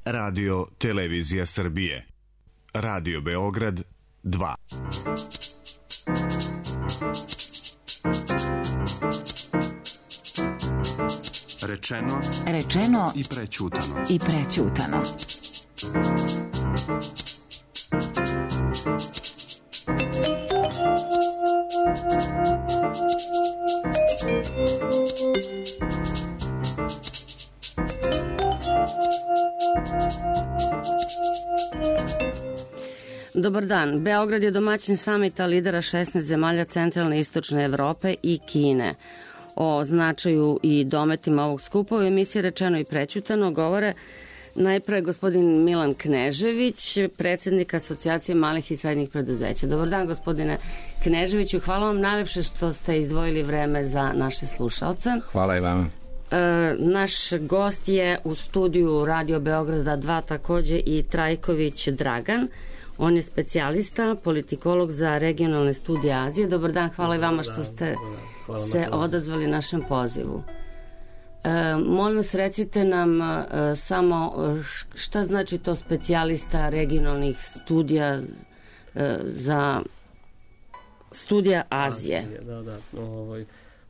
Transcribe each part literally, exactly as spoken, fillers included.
Radio Televizija Srbije. Radio Beograd dva. Rečeno, rečeno i prećutano. I prećutano. Dobar dan. Beograd je domaćin samita lidera šesnaest zemalja centralne i istočne Evrope i Kine. O značaju i dometima ovog skupa u emisiji Rečeno i prećutano govore najpre gospodin Milan Knežević, predsjednik Asocijacije malih i srednjih preduzeća. Dobar dan, gospodine Kneževiću. Hvala vam najlepše što ste izdvojili vreme za naše slušalce. Hvala i vama. E, naš gost je u studiju Radio Beograda dva takođe i Trajković Dragan. On je specijalista, politikolog za regionalne studije Azije. Dobar dan, hvala i vama što ste se odazvali našem pozivu. E, molim vas, recite nam e, samo šta znači to specijalista regionalnih studija e, za studija Azije. Azije da, da. Ovaj,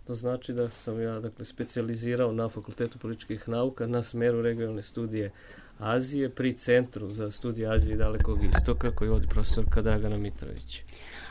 to znači da sam ja dakle, specijalizirao na Fakultetu političkih nauka na smeru regionalne studije Azije pri Centru za studije Azije i Dalekog istoka koji vodi profesorka Dragana Mitrović.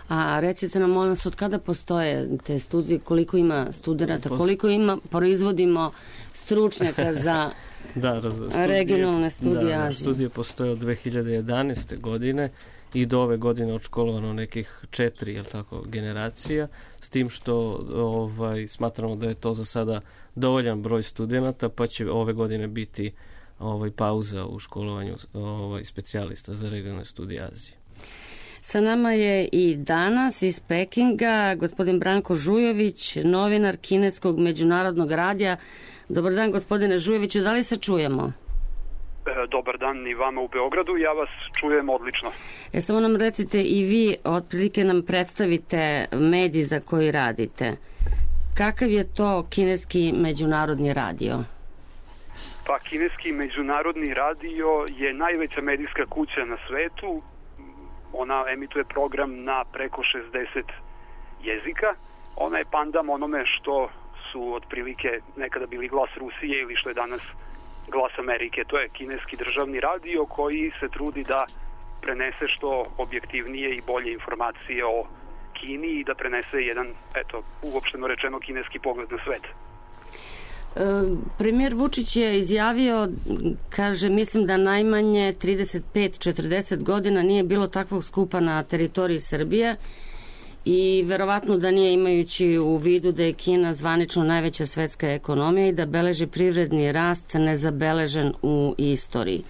A recite nam, molim vas, od kada postoje te studije, koliko ima studenta, koliko ima, proizvodimo stručnjaka za da, raz, studije, regionalne studije da, Azije? Studije postoje od dve hiljade jedanaeste. godine i do ove godine odškolovano nekih četiri, jel tako, generacija, s tim što ovaj, smatramo da je to za sada dovoljan broj studenta, pa će ove godine biti ovaj, pauza u školovanju ovaj, specijalista za regionalne studije Azije. Sa nama je i danas iz Pekinga gospodin Branko Žujović, novinar kineskog međunarodnog radija. Dobar dan, gospodine Žujoviću, da li se čujemo? E, dobar dan i vama u Beogradu, ja vas čujem odlično. E, samo nam recite i vi, otprilike nam predstavite medij za koji radite. Kakav je to kineski međunarodni radio? Pa, kineski međunarodni radio je najveća medijska kuća na svetu. Ona emituje program na preko šezdeset jezika. Ona je pandam onome što su otprilike nekada bili Glas Rusije ili što je danas Glas Amerike. To je kineski državni radio koji se trudi da prenese što objektivnije i bolje informacije o Kini i da prenese jedan, eto, uopšteno rečeno, kineski pogled na svet. Premijer Vučić je izjavio, kaže, mislim da najmanje trideset pet do četrdeset godina nije bilo takvog skupa na teritoriji Srbije i verovatno da nije, imajući u vidu da je Kina zvanično najveća svetska ekonomija i da beleži privredni rast nezabeležen u istoriji.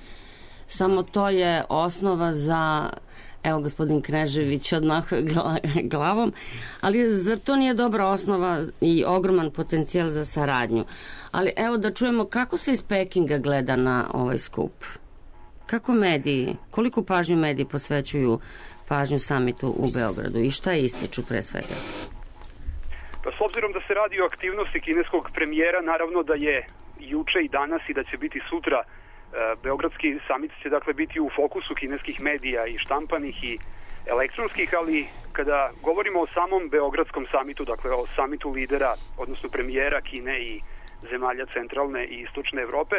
Samo to je osnova za, evo, gospodin Knežević odmah glavom, ali zar to nije dobra osnova i ogroman potencijal za saradnju? Ali evo da čujemo kako se iz Pekinga gleda na ovaj skup. Kako mediji, koliko pažnju mediji posvećuju pažnju samitu u Beogradu i šta ističu pre svega? Pa, s obzirom da se radi o aktivnosti kineskog premijera, naravno da je juče i danas i da će biti sutra Beogradski samit će dakle biti u fokusu kineskih medija i štampanih i elektronskih, ali kada govorimo o samom Beogradskom samitu, dakle o samitu lidera, odnosno premijera Kine i zemalja centralne i istočne Evrope,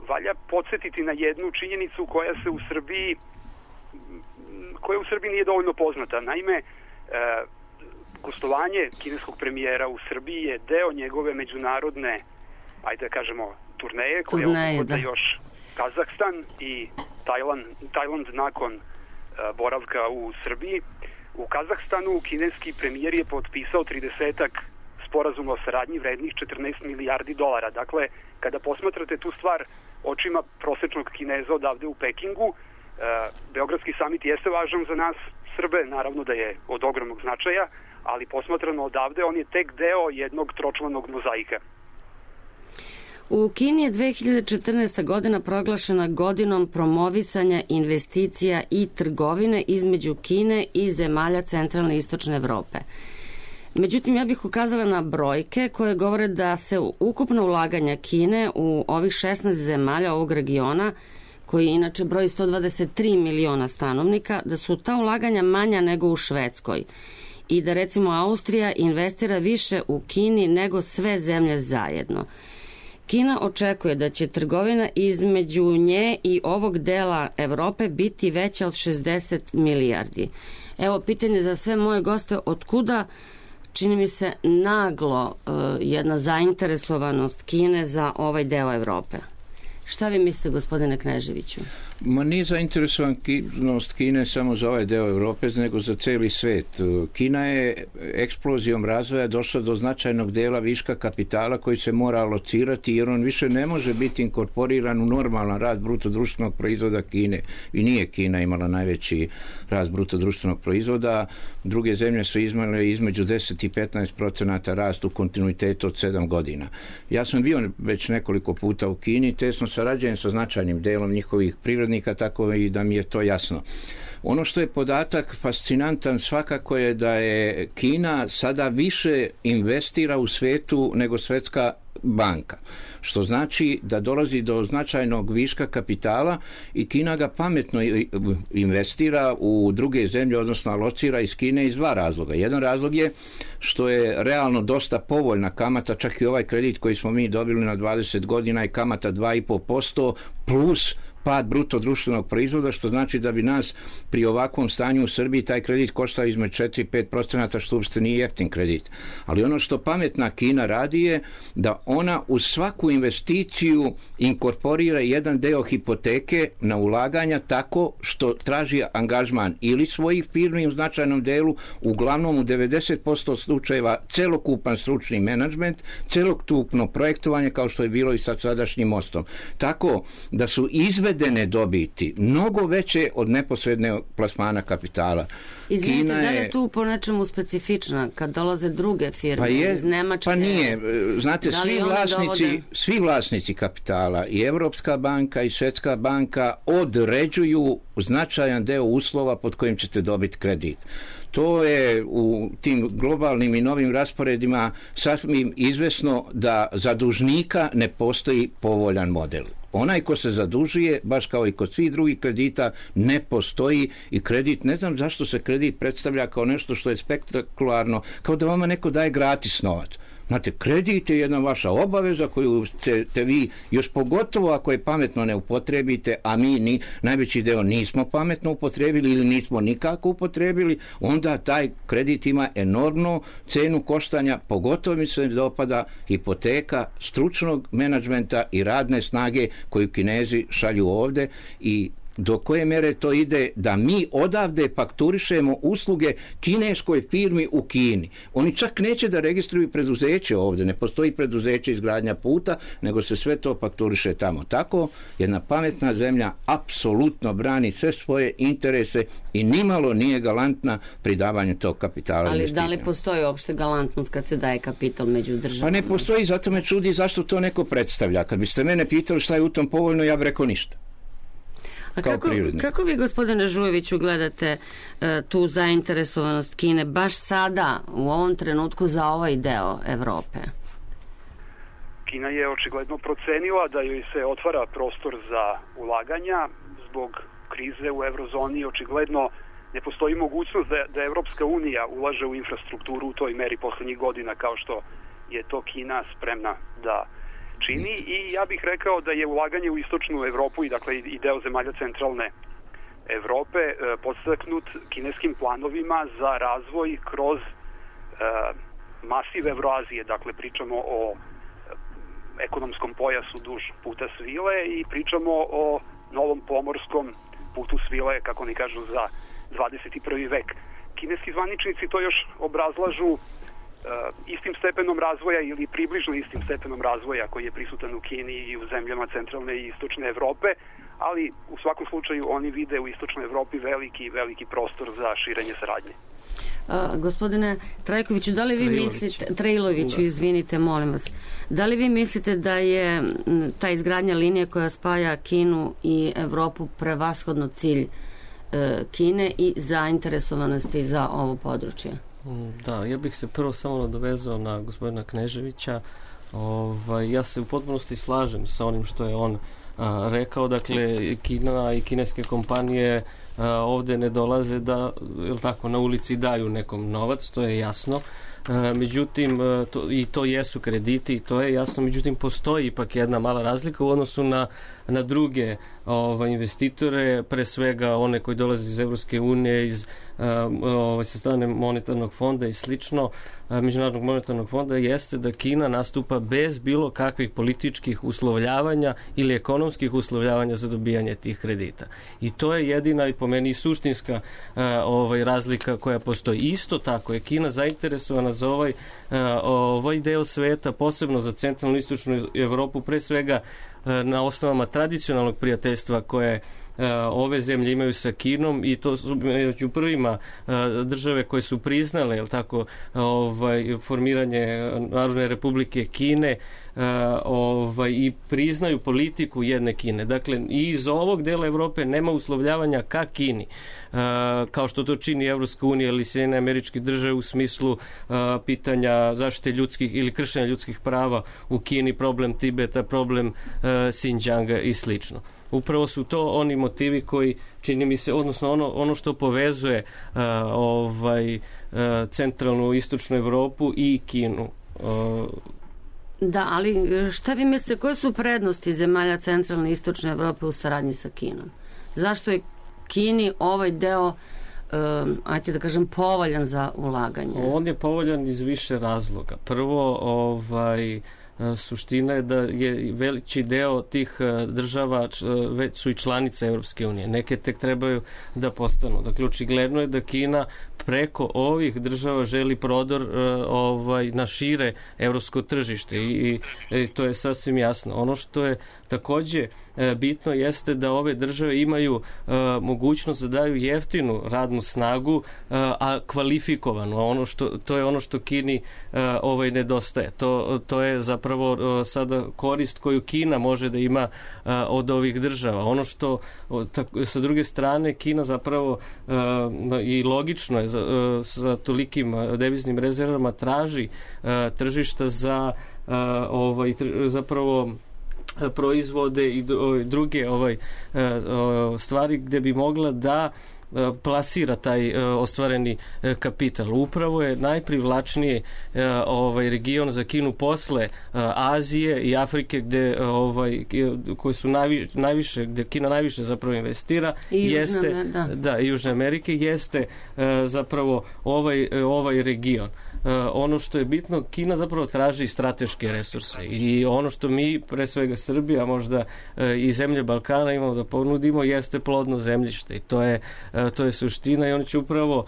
valja podsjetiti na jednu činjenicu koja se u Srbiji koja u Srbiji nije dovoljno poznata. Naime, gostovanje kineskog premijera u Srbiji je deo njegove međunarodne, ajde da kažemo, turneje koja obuhvata još Kazahstan i Tajland, Tajland nakon uh, boravka u Srbiji. U Kazahstanu kineski premijer je potpisao tridesetak sporazuma o saradnji vrednih četrnaest milijardi dolara. Dakle, kada posmatrate tu stvar očima prosečnog Kineza odavde u Pekingu, uh, Beogradski samit jeste važan za nas Srbe, naravno da je od ogromnog značaja, ali posmatrano odavde on je tek deo jednog tročlanog mozaika. U Kini je dve hiljade četrnaesta. godina proglašena godinom promovisanja investicija i trgovine između Kine i zemalja centralne i istočne Evrope. Međutim, ja bih ukazala na brojke koje govore da se ukupno ulaganja Kine u ovih šesnaest zemalja ovog regiona koji inače broji sto dvadeset tri miliona stanovnika, da su ta ulaganja manja nego u Švedskoj i da recimo Austrija investira više u Kini nego sve zemlje zajedno. Kina očekuje da će trgovina između nje i ovog dela Evrope biti veća od šezdeset milijardi. Evo pitanje za sve moje goste, otkuda čini mi se naglo uh, jedna zainteresovanost Kine za ovaj deo Evrope? Šta vi mislite, gospodine Kneževiću? Ma nije zainteresovanost Kine samo za ovaj deo Europe, nego za cijeli svet. Kina je eksplozijom razvoja došla do značajnog dela viška kapitala koji se mora alocirati, jer on više ne može biti inkorporiran u normalan rast bruto društvenog proizvoda Kine. I nije Kina imala najveći rast bruto društvenog proizvoda. Druge zemlje su imale između deset i petnaest procenata rast u kontinuitetu od sedam godina. Ja sam bio već nekoliko puta u Kini, tesno sarađujem sa značajnim delom njihovih privrednika, tako i da mi je to jasno. Ono što je podatak fascinantan svakako je da je Kina sada više investira u svetu nego Svjetska banka, što znači da dolazi do značajnog viška kapitala i Kina ga pametno investira u druge zemlje, odnosno alocira iz Kine iz dva razloga. Jedan razlog je što je realno dosta povoljna kamata, čak i ovaj kredit koji smo mi dobili na dvadeset godina je kamata dva i po posto plus pad bruto društvenog proizvoda, što znači da bi nas pri ovakvom stanju u Srbiji taj kredit koštao između četiri do pet procenata, što uopšte nije jeftin kredit. Ali ono što pametna Kina radi je da ona u svaku investiciju inkorporira jedan deo hipoteke na ulaganja tako što traži angažman ili svojih firmi u značajnom delu, uglavnom u devedeset posto slučajeva celokupan stručni menadžment, celokupno projektovanje kao što je bilo i sa sadašnjim mostom. Tako da su izve izvedene dobiti mnogo veće od neposredne plasmana kapitala. Izvinite, Kina je... da li je tu po nečemu specifična kad dolaze druge firme pa je, iz Nemačke? Pa nije. Znate, svi vlasnici, dovode... svi vlasnici kapitala, i Evropska banka i Svjetska banka određuju značajan deo uslova pod kojim ćete dobiti kredit. To je u tim globalnim i novim rasporedima sasvim izvesno da za dužnika ne postoji povoljan model. Onaj ko se zadužuje, baš kao i kod svih drugih kredita, ne postoji i kredit, ne znam zašto se kredit predstavlja kao nešto što je spektakularno, kao da vama neko daje gratis novac. Znate, kredit je jedna vaša obaveza koju te, te vi, još pogotovo ako je pametno ne upotrebite, a mi ni, najveći deo nismo pametno upotrebili ili nismo nikako upotrebili, onda taj kredit ima enormnu cenu koštanja, pogotovo mi se dopada hipoteka stručnog menadžmenta i radne snage koju Kinezi šalju ovde i do koje mere to ide da mi odavde fakturišemo usluge kineskoj firmi u Kini. Oni čak neće da registruju preduzeće ovde, ne postoji preduzeće izgradnja puta, nego se sve to fakturiše tamo. Tako jedna pametna zemlja apsolutno brani sve svoje interese i nimalo nije galantna pri davanju tog kapitala. Ali da li postoji uopšte galantnost kad se daje kapital među državama? Pa ne postoji, zato me čudi zašto to neko predstavlja. Kad biste mene pitali šta je u tom povoljno, ja bih rekao ništa. A kako, kako vi, gospodine Žujeviću, gledate e, tu zainteresovanost Kine baš sada, u ovom trenutku, za ovaj deo Evrope? Kina je očigledno procenila da joj se otvara prostor za ulaganja zbog krize u eurozoni. Očigledno ne postoji mogućnost da, da Evropska unija ulaže u infrastrukturu u toj meri poslednjih godina kao što je to Kina spremna da čini i ja bih rekao da je ulaganje u istočnu Evropu i dakle i deo zemalja centralne Evrope e, podstaknut kineskim planovima za razvoj kroz e, masiv Evroazije, dakle pričamo o ekonomskom pojasu duž puta svile i pričamo o novom pomorskom putu svile, kako oni kažu, za dvadeset i prvi vek. Kineski zvaničnici to još obrazlažu Uh, istim stepenom razvoja ili približno istim stepenom razvoja koji je prisutan u Kini i u zemljama centralne i istočne Evrope, ali u svakom slučaju oni vide u istočnoj Evropi veliki, veliki prostor za širenje saradnje. Uh, gospodine Trajkoviću, da li vi Trailović. mislite, Trailoviću, da. izvinite, molim vas, da li vi mislite da je ta izgradnja linije koja spaja Kinu i Evropu prevashodno cilj uh, Kine i zainteresovanosti za ovo područje? Da, ja bih se prvo samo nadovezao na gospodina Kneževića. Ovaj, ja se u potpunosti slažem sa onim što je on a, rekao, dakle Kina i kineske kompanije a, ovde ne dolaze da, jel tako, na ulici daju nekom novac, to je jasno. E, međutim, e, to, i to jesu krediti, i to je jasno, međutim postoji ipak jedna mala razlika u odnosu na, na druge ovaj, investitore, pre svega one koji dolaze iz Evropske unije, iz ovaj, sa strane monetarnog fonda i slično, Međunarodnog monetarnog fonda, jeste da Kina nastupa bez bilo kakvih političkih uslovljavanja ili ekonomskih uslovljavanja za dobijanje tih kredita. I to je jedina i po meni suštinska ovaj, razlika koja postoji. Isto tako je Kina zainteresovana za ovaj, ovaj deo sveta, posebno za centralnu i istočnu Evropu, pre svega na osnovama tradicionalnog prijateljstva koje ove zemlje imaju sa Kinom, i to su među prvima države koje su priznale, jel tako, ovaj, formiranje Narodne republike Kine, ovaj, i priznaju politiku jedne Kine. Dakle, i iz ovog dela Evrope nema uslovljavanja ka Kini, kao što to čini Evropska unija ili Sjedinjene Američke Države u smislu pitanja zaštite ljudskih ili kršenja ljudskih prava u Kini, problem Tibeta, problem Xinjianga i slično. Upravo su to oni motivi koji, čini mi se, odnosno ono, ono što povezuje uh, ovaj, uh, centralnu istočnu Evropu i Kinu. Uh, Da, ali šta vi mislite, koje su prednosti zemalja centralne i istočne Evrope u saradnji sa Kinom? Zašto je Kini ovaj deo, um, ajte da kažem, povoljan za ulaganje? On je povoljan iz više razloga. Prvo, ovaj, suština je da je veliki deo tih država već su i članice Evropske unije. Neke tek trebaju da postanu. Dakle, očigledno je da Kina preko ovih država želi prodor ovaj, na šire evropsko tržište i, i to je sasvim jasno. Ono što je takođe bitno jeste da ove države imaju uh, mogućnost da daju jeftinu radnu snagu, uh, a kvalifikovanu. Ono što, to je ono što Kini uh, ovaj nedostaje. To, to je zapravo uh, sada korist koju Kina može da ima uh, od ovih država. Ono što uh, tako, sa druge strane Kina zapravo uh, i logično je za, uh, sa tolikim deviznim rezervama traži uh, tržišta za uh, ovaj, tr, zapravo proizvode i druge ovaj stvari gde bi mogla da plasira taj ostvareni kapital. Upravo je najprivlačniji ovaj region za Kinu posle Azije i Afrike, gde ovaj koji su najvi, najviše gde Kina najviše zapravo investira, I jeste Južne, da. da i Južne Amerike, jeste zapravo ovaj ovaj region. Ono što je bitno, Kina zapravo traži strateške resurse i ono što mi, pre svega Srbija, možda i zemlje Balkana imamo da ponudimo, jeste plodno zemljište i to je, to je suština i oni će upravo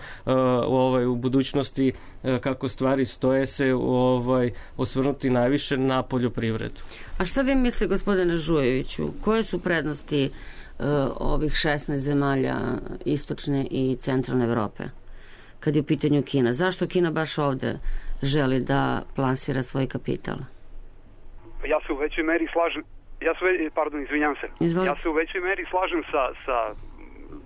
ovaj, u budućnosti, kako stvari stoje, se ovaj, osvrnuti najviše na poljoprivredu. A šta vi mislite, gospodine Žujeviću, koje su prednosti uh, ovih šesnaest zemalja istočne i centralne Evrope kad je u pitanju Kina? Zašto Kina baš ovde želi da plasira svoj kapital? Ja se u većoj meri slažem, ja se, pardon, izvinjam se, Izvolite. ja se u većoj meri slažem sa, sa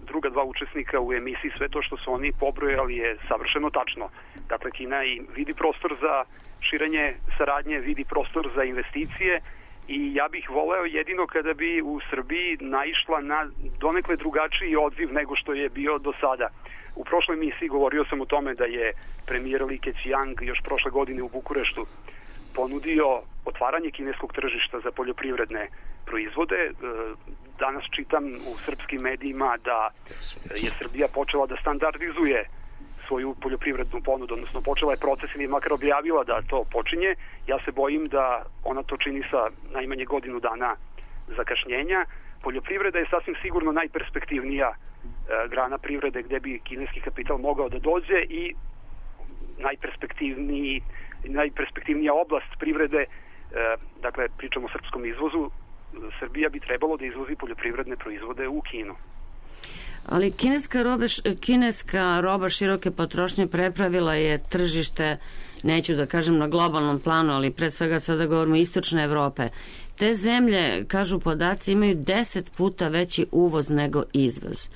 druga dva učesnika u emisiji. Sve to što su oni pobrojali je savršeno tačno. Dakle, Kina i vidi prostor za širenje saradnje, vidi prostor za investicije i ja bih voleo jedino kada bi u Srbiji naišla na donekle drugačiji odziv nego što je bio do sada. U prošloj emisiji govorio sam o tome da je premijer Li Keqiang još prošle godine u Bukureštu ponudio otvaranje kineskog tržišta za poljoprivredne proizvode. Danas čitam u srpskim medijima da je Srbija počela da standardizuje svoju poljoprivrednu ponudu, odnosno počela je proces ili makar objavila da to počinje. Ja se bojim da ona to čini sa najmanje godinu dana zakašnjenja. Poljoprivreda je sasvim sigurno najperspektivnija e, grana privrede gde bi kineski kapital mogao da dođe i najperspektivniji, najperspektivnija oblast privrede, e, dakle pričamo o srpskom izvozu, Srbija bi trebalo da izvozi poljoprivredne proizvode u Kinu. Ali kineska roba, kineska roba široke potrošnje prepravila je tržište, neću da kažem na globalnom planu, ali pre svega sada govorimo istočne Evrope. Te zemlje, kažu podaci, imaju deset puta veći uvoz nego izvoz.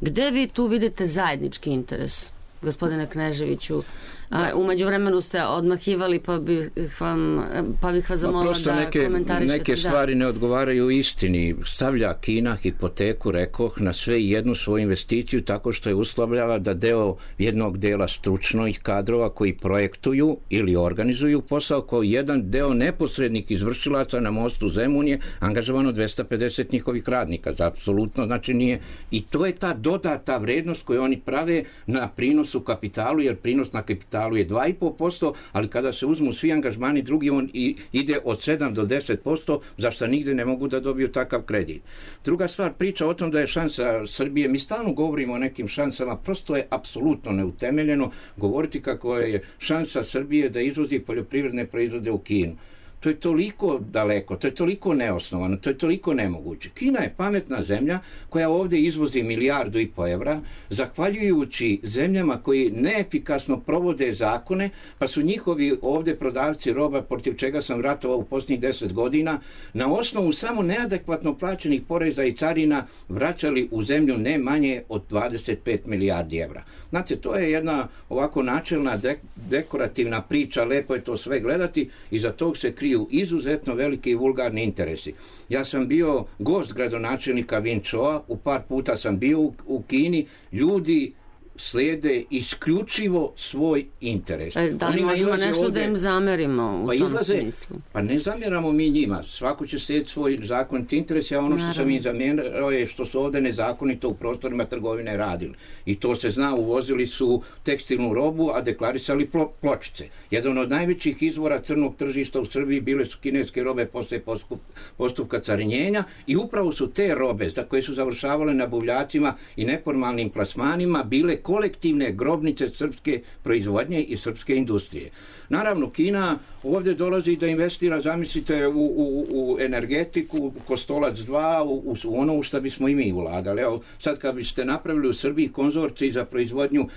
Gde vi tu vidite zajednički interes, gospodine Kneževiću, A u međuvremenu ste odmahivali, pa bih vam, pa bih vas zamolila da neke, komentarišete. Neke stvari da. ne odgovaraju istini. Stavlja Kina hipoteku, rekoh, na sve jednu svoju investiciju tako što je uslovljava da deo jednog dela stručnih kadrova koji projektuju ili organizuju posao, kao jedan deo neposrednih izvršilaca na mostu Zemun je angažovano dvesta pedeset njihovih radnika. Za apsolutno, znači nije. I to je ta dodata vrednost koju oni prave na prinosu kapitalu, jer prinos na kapitalu je dva i po posto, ali kada se uzmu svi angažmani drugi, on i ide od sedam do deset posto, zašto nigde ne mogu da dobiju takav kredit. Druga stvar, priča o tom da je šansa Srbije, mi stalno govorimo o nekim šansama, prosto je apsolutno neutemeljeno govoriti kako je šansa Srbije da izvozi poljoprivredne proizvode u Kinu. To je toliko daleko, to je toliko neosnovano, to je toliko nemoguće. Kina je pametna zemlja koja ovdje izvozi milijardu i po evra, zahvaljujući zemljama koji neefikasno provode zakone, pa su njihovi ovdje prodavci roba, protiv čega sam ratovao u posljednjih deset godina, na osnovu samo neadekvatno plaćenih poreza i carina vraćali u zemlju ne manje od dvadeset pet milijardi evra. Znate, to je jedna ovako načelna de- dekorativna priča, lepo je to sve gledati, i za tog se kriju izuzetno veliki i vulgarni interesi. Ja sam bio gost gradonačelnika Win Choa, u par puta sam bio u, u Kini, ljudi slijede isključivo svoj interes. E, da li možemo nešto ovdje da im zamerimo u pa tom izlaze, smislu? Pa ne zamjeramo mi njima. Svako će slijediti svoj zakonit interes, a ono Naravno. što sam im zamjerao je što su ovdje nezakonito u prostorima trgovine radili. I to se zna, uvozili su tekstilnu robu, a deklarisali plo, pločice. Jedan od najvećih izvora crnog tržišta u Srbiji bile su kineske robe posle postup, postupka carinjenja, i upravo su te robe za koje su završavale na buvljacima i neformalnim plasmanima bile kolektivne grobnice srpske proizvodnje i srpske industrije. Naravno, Kina ovdje dolazi da investira, zamislite, u, u, u energetiku, u Kostolac dva, u, u ono u što bismo i mi ulagali. Evo, sad kad biste napravili u Srbiji konzorcij za proizvodnju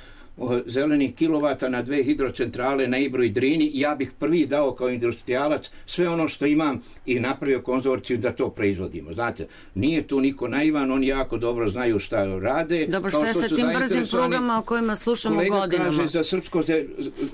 zelenih kilovata na dve hidrocentrale na Ibru i Drini, ja bih prvi dao kao industrijalac sve ono što imam i napravio konzorciju da to proizvodimo. Znate, nije tu niko naivan, oni jako dobro znaju šta rade. Dobro, što je sa tim brzim prugama o kojima slušamo kolega godinama? Kolega kaže za srpsko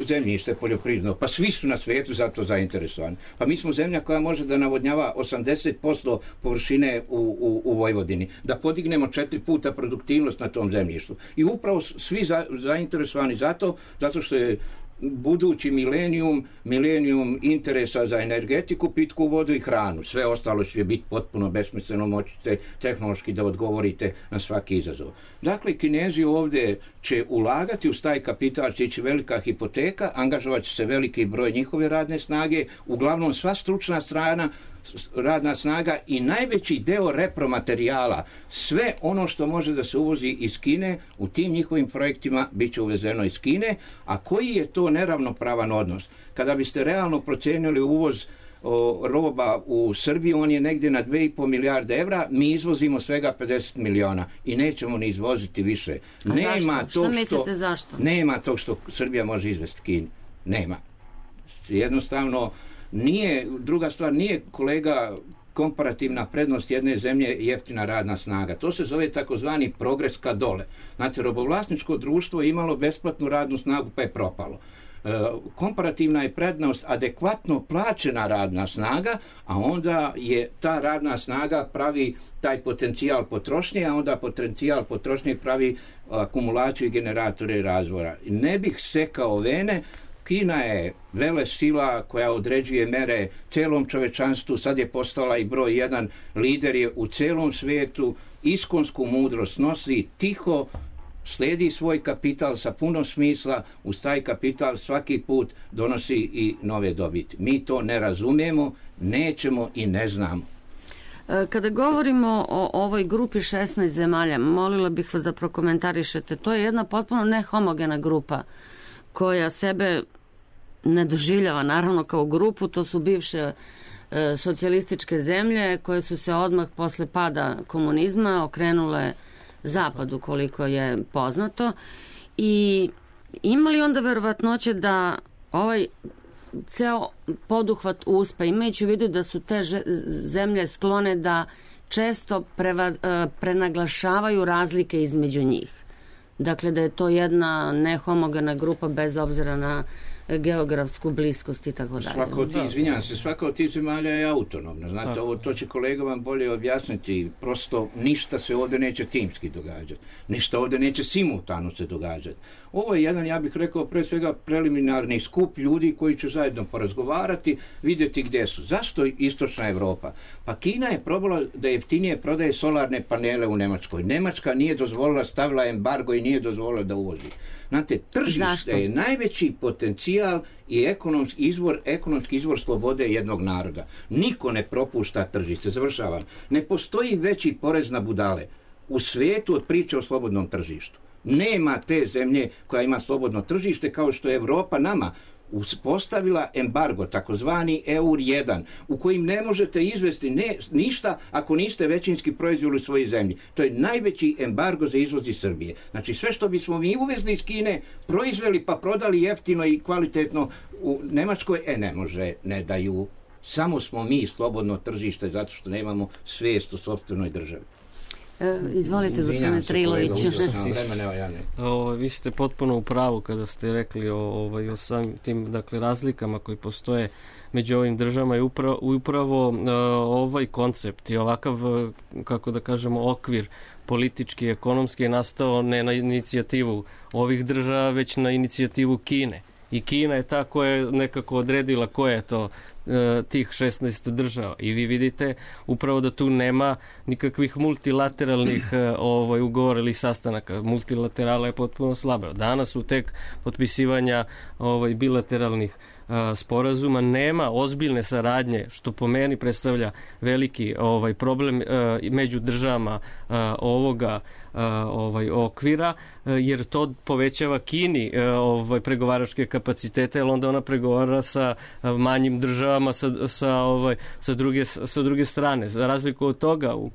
zemljište poljoprivredno, pa svi su na svijetu za to zainteresovani. Pa mi smo zemlja koja može da navodnjava osamdeset posto površine u, u, u Vojvodini, da podignemo četiri puta produktivnost na tom zemljištu. I upravo svi za, zainteresovani zato, zato što je budući milenijum, milenijum interesa za energetiku, pitku vodu i hranu. Sve ostalo će biti potpuno besmisleno, moćete tehnološki da odgovorite na svaki izazov. Dakle, Kinezi ovdje će ulagati u taj kapital, će ići velika hipoteka, angažovat će se veliki broj njihove radne snage, uglavnom sva stručna strana, radna snaga i najveći deo repromaterijala, sve ono što može da se uvozi iz Kine, u tim njihovim projektima bit će uvezeno iz Kine. A koji je to neravnopravan odnos? Kada biste realno procijenili uvoz o, roba u Srbiju, on je negdje na dve i po milijarde evra, mi izvozimo svega pedeset miliona i nećemo ni izvoziti više. A nema zašto? Što mislite zašto? Nema tog što Srbija može izvesti Kini. Nema. Jednostavno, nije, druga stvar, nije, kolega, komparativna prednost jedne zemlje jeftina radna snaga. To se zove takozvani progres ka dole. Znate, robovlasničko društvo je imalo besplatnu radnu snagu pa je propalo. E, komparativna je prednost adekvatno plaćena radna snaga, a onda je ta radna snaga pravi taj potencijal potrošnje, a onda potencijal potrošnje pravi akumulaciju i generatore razvoja. Ne bih sekao vene. Kina je vele sila koja određuje mere celom čovečanstvu, sad je postala i broj jedan, lider je u celom svijetu, iskonsku mudrost nosi, tiho slijedi svoj kapital sa puno smisla, uz taj kapital svaki put donosi i nove dobiti. Mi to ne razumijemo, nećemo i ne znamo. Kada govorimo o ovoj grupi šesnaest zemalja, molila bih vas da prokomentarišete, to je jedna potpuno nehomogena grupa koja sebe ne doživljava naravno kao grupu, to su bivše e, socijalističke zemlje koje su se odmah posle pada komunizma okrenule zapadu, koliko je poznato, i ima li onda verovatnoće da ovaj ceo poduhvat uspe, imajući u vidu da su te zemlje sklone da često preva, e, prenaglašavaju razlike između njih? Dakle, da je to jedna nehomogena grupa bez obzira na geografsku bliskost i tako dalje. Svaka od tih, izvinjam se, svaka od tih zemalja je autonomna. Znate, ovo, to će kolega vam bolje objasniti. Prosto ništa se ovdje neće timski događati. Ništa ovdje neće simultano se događati. Ovo je jedan, ja bih rekao, pre svega preliminarni skup ljudi koji će zajedno porazgovarati, vidjeti gdje su. Zašto istočna Europa? Pa Kina je probala da jeftinije prodaje solarne panele u Njemačkoj. Njemačka nije dozvolila, stavila embargo i nije dozvolila da uvozi. Znate, tržište Zašto? je najveći potencijal i ekonomski izvor, ekonomski izvor slobode jednog naroda. Niko ne propušta tržište, završavam. Ne postoji veći porez na budale u svijetu od priče o slobodnom tržištu. Nema te zemlje koja ima slobodno tržište kao što je Europa nama uspostavila embargo, takozvani E U R jedan, u kojim ne možete izvesti ne, ništa ako niste većinski proizveli u svojoj zemlji. To je najveći embargo za izvoz iz Srbije. Znači sve što bismo mi uvezli iz Kine, proizveli pa prodali jeftino i kvalitetno u Njemačkoj, e ne može, ne daju. Samo smo mi slobodno tržište zato što nemamo svijest o sopstvenoj državi. E, izvolite, gospodine Triloviću. Vi ste potpuno u pravu kada ste rekli o, ovaj, o samim tim dakle, razlikama koji postoje među ovim državama i upravo, upravo uh, ovaj koncept i ovakav, kako da kažemo, okvir politički i ekonomski je nastao ne na inicijativu ovih država, već na inicijativu Kine. I Kina je ta koja je nekako odredila koje je to tih šesnaest država. I vi vidite upravo da tu nema nikakvih multilateralnih ovaj, ugovora ili sastanaka. Multilaterala je potpuno slaba. Danas su tek potpisivanja ovaj, bilateralnih a, sporazuma. Nema ozbiljne saradnje, što po meni predstavlja veliki ovaj, problem a, među državama a, ovoga a, ovaj, okvira, a, jer to povećava Kini a, ovaj, pregovaračke kapacitete, jer onda ona pregovara sa a, manjim državama Sa, sa, ovaj, sa, druge, sa druge strane. Za razliku od toga, u,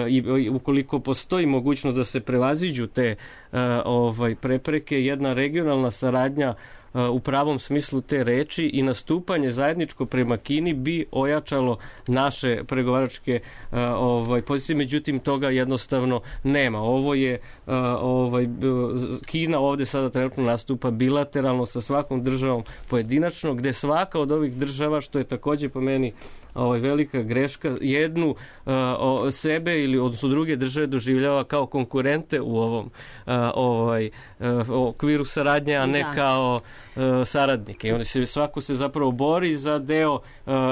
i, i, ukoliko postoji mogućnost da se prevaziđu te ovaj, prepreke, jedna regionalna saradnja u pravom smislu te reči i nastupanje zajedničko prema Kini bi ojačalo naše pregovaračke ovaj, pozicije, međutim toga jednostavno nema. Ovo je ovaj, Kina ovdje sada trenutno nastupa bilateralno sa svakom državom pojedinačno, gdje svaka od ovih država, što je također po meni ovaj, velika greška, jednu uh, o, sebe ili odnosno druge države doživljava kao konkurente u ovom uh, ovaj, uh, okviru saradnje, a ne da. kao uh, saradnike. I oni se, svako se zapravo bori za deo uh,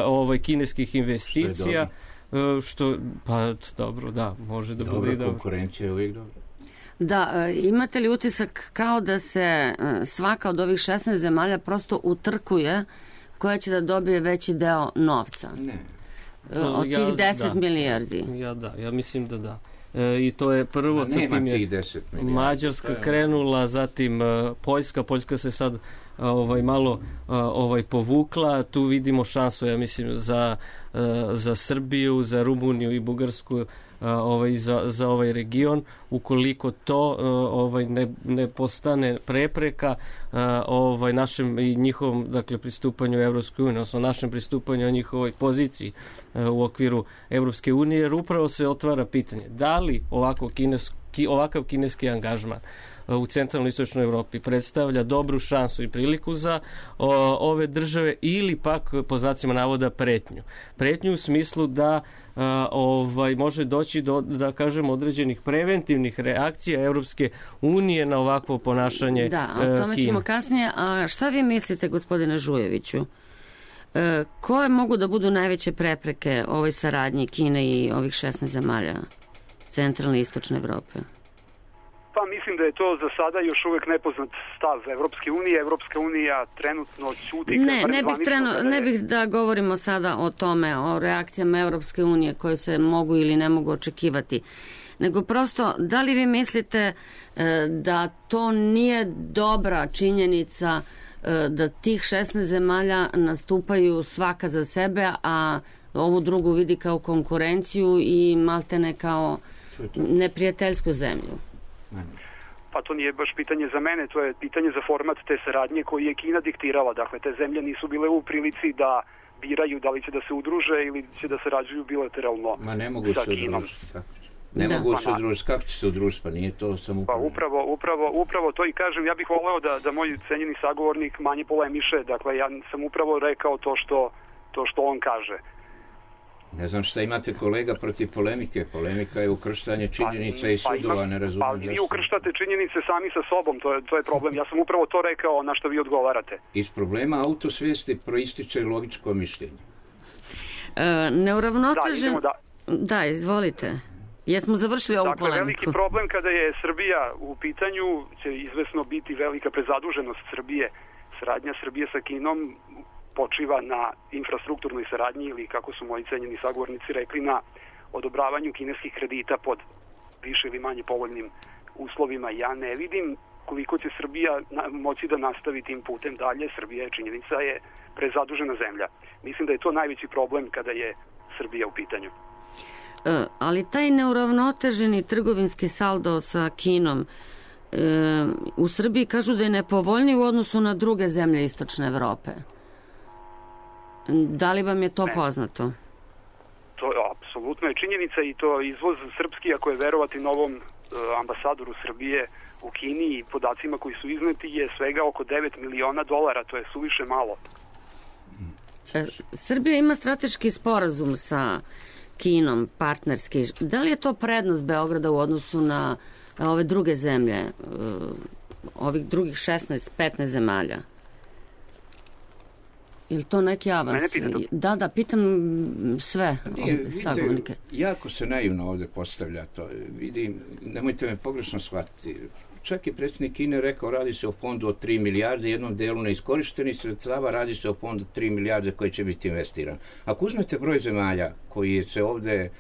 ovaj, kineskih investicija. Što, uh, što pa dobro, da, može da bude dobro. Konkurencija je uvijek dobro. Da, imate li utisak kao da se svaka od ovih šesnaest zemalja prosto utrkuje koja će da dobije veći deo novca? Ne. Od tih ja, deset da. milijardi. Ja da, ja mislim da da. E, I to je prvo, sa tim je Mađarska je... krenula, zatim uh, Poljska, Poljska se sad uh, ovaj, malo uh, ovaj, povukla, tu vidimo šansu, ja mislim, za, uh, za Srbiju, za Rumuniju i Bugarsku, Uh, ovaj, za, za ovaj region, ukoliko to uh, ovaj, ne, ne postane prepreka uh, ovaj, našem i njihovom dakle, pristupanju Evropskoj uniji, odnosno našem pristupanju o njihovoj poziciji uh, u okviru Evropske unije, jer upravo se otvara pitanje da li ovako kineski, ovakav kineski angažman u centralnoj istočnoj Evropi predstavlja dobru šansu i priliku za o, ove države ili pak po znacima navoda pretnju. Pretnju u smislu da a, ovaj, može doći do, da kažem, određenih preventivnih reakcija Evropske unije na ovakvo ponašanje Da, o tome Kine. ćemo kasnije. A šta vi mislite, gospodine Žujeviću? E, koje mogu da budu najveće prepreke ovoj saradnji Kine i ovih šesnaest zemalja centralne i istočne Evrope? Pa mislim da je to za sada još uvijek nepoznat stav Evropske unije. Evropska unija trenutno ćuti. Ne, ne bih, trenu, ne bih da govorimo sada o tome, o reakcijama Evropske unije koje se mogu ili ne mogu očekivati. Nego prosto, da li vi mislite e, da to nije dobra činjenica e, da tih šesnaest zemalja nastupaju svaka za sebe, a ovu drugu vidi kao konkurenciju i maltene kao neprijateljsku zemlju? Pa to nije baš pitanje za mene, to je pitanje za format te saradnje koji je Kina diktirala. Dakle, te zemlje nisu bile u prilici da biraju da li će da se udruže ili će da sarađuju bilateralno Ma ne mogu sa se Kinom. Ne da. mogu se udružiti, kako će se udružiti, pa nije to samo... Pa upravo, upravo, upravo to i kažem, ja bih voleo da, da moj cenjeni sagovornik manje polemiše, dakle ja sam upravo rekao to što, to što on kaže. Ne znam šta imate kolega protiv polemike, polemika je ukrštanje činjenica pa, i sudova, pa, ne razumijem. Pa vi ukrštate činjenice sami sa sobom, to je, to je problem, ja sam upravo to rekao na što vi odgovarate. Iz problema autosvijesti proističe logičko mišljenje. E, neuravnotežen... Da, da... da, izvolite. Jesmo završili ovu dakle, polemiku? Veliki problem kada je Srbija u pitanju će izvesno biti velika prezaduženost Srbije. Saradnja Srbije sa Kinom počiva na infrastrukturnoj saradnji ili, kako su moji cenjeni sagovornici rekli, na odobravanju kineskih kredita pod više ili manje povoljnim uslovima. Ja ne vidim koliko će Srbija moći da nastavi tim putem dalje. Srbija je, činjenica je, prezadužena zemlja. Mislim da je to najveći problem kada je Srbija u pitanju. E, ali taj neuravnoteženi trgovinski saldo sa Kinom e, u Srbiji kažu da je nepovoljniji u odnosu na druge zemlje istočne Evrope. Da li vam je to ne. poznato? To apsolutno je činjenica i to izvoz srpski, ako je verovati novom uh, ambasadoru Srbije u Kini i podacima koji su izneti, je svega oko devet miliona dolara, to je suviše malo. E, Srbija ima strateški sporazum sa Kinom, partnerski. Da li je to prednost Beograda u odnosu na ove druge zemlje, uh, ovih drugih šesnaest petnaest zemalja? Ili to neki avans? Da, da, pitam sve sagovornike. Jako se naivno ovdje postavlja to. Vidim, nemojte me pogrešno shvatiti. Čak je predsjednik Kine rekao, radi se o fondu od tri milijarde, jednom delu neiskorištenih sredstava, radi se o fondu tri milijarde koji će biti investiran. Ako uzmete broj zemalja koji se ovdje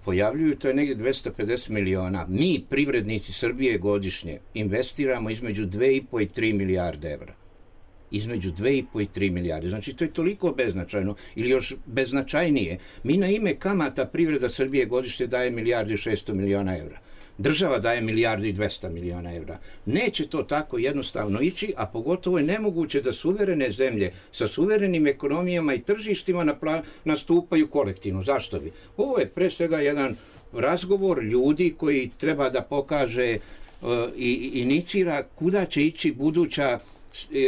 pojavljuju, to je negdje dvesta pedeset miliona. Mi, privrednici Srbije, godišnje investiramo između dve i po i tri milijarde evra. Između dve i po i tri milijarde. Znači, to je toliko beznačajno, ili još beznačajnije. Mi na ime kamata privreda Srbije godišnje daje milijardu i šesto miliona evra. Država daje milijardu i dvesta miliona evra. Neće to tako jednostavno ići, a pogotovo je nemoguće da suverene zemlje sa suverenim ekonomijama i tržištima napla- nastupaju kolektivno. Zašto bi? Ovo je pre svega jedan razgovor ljudi koji treba da pokaže uh, i inicira kuda će ići buduća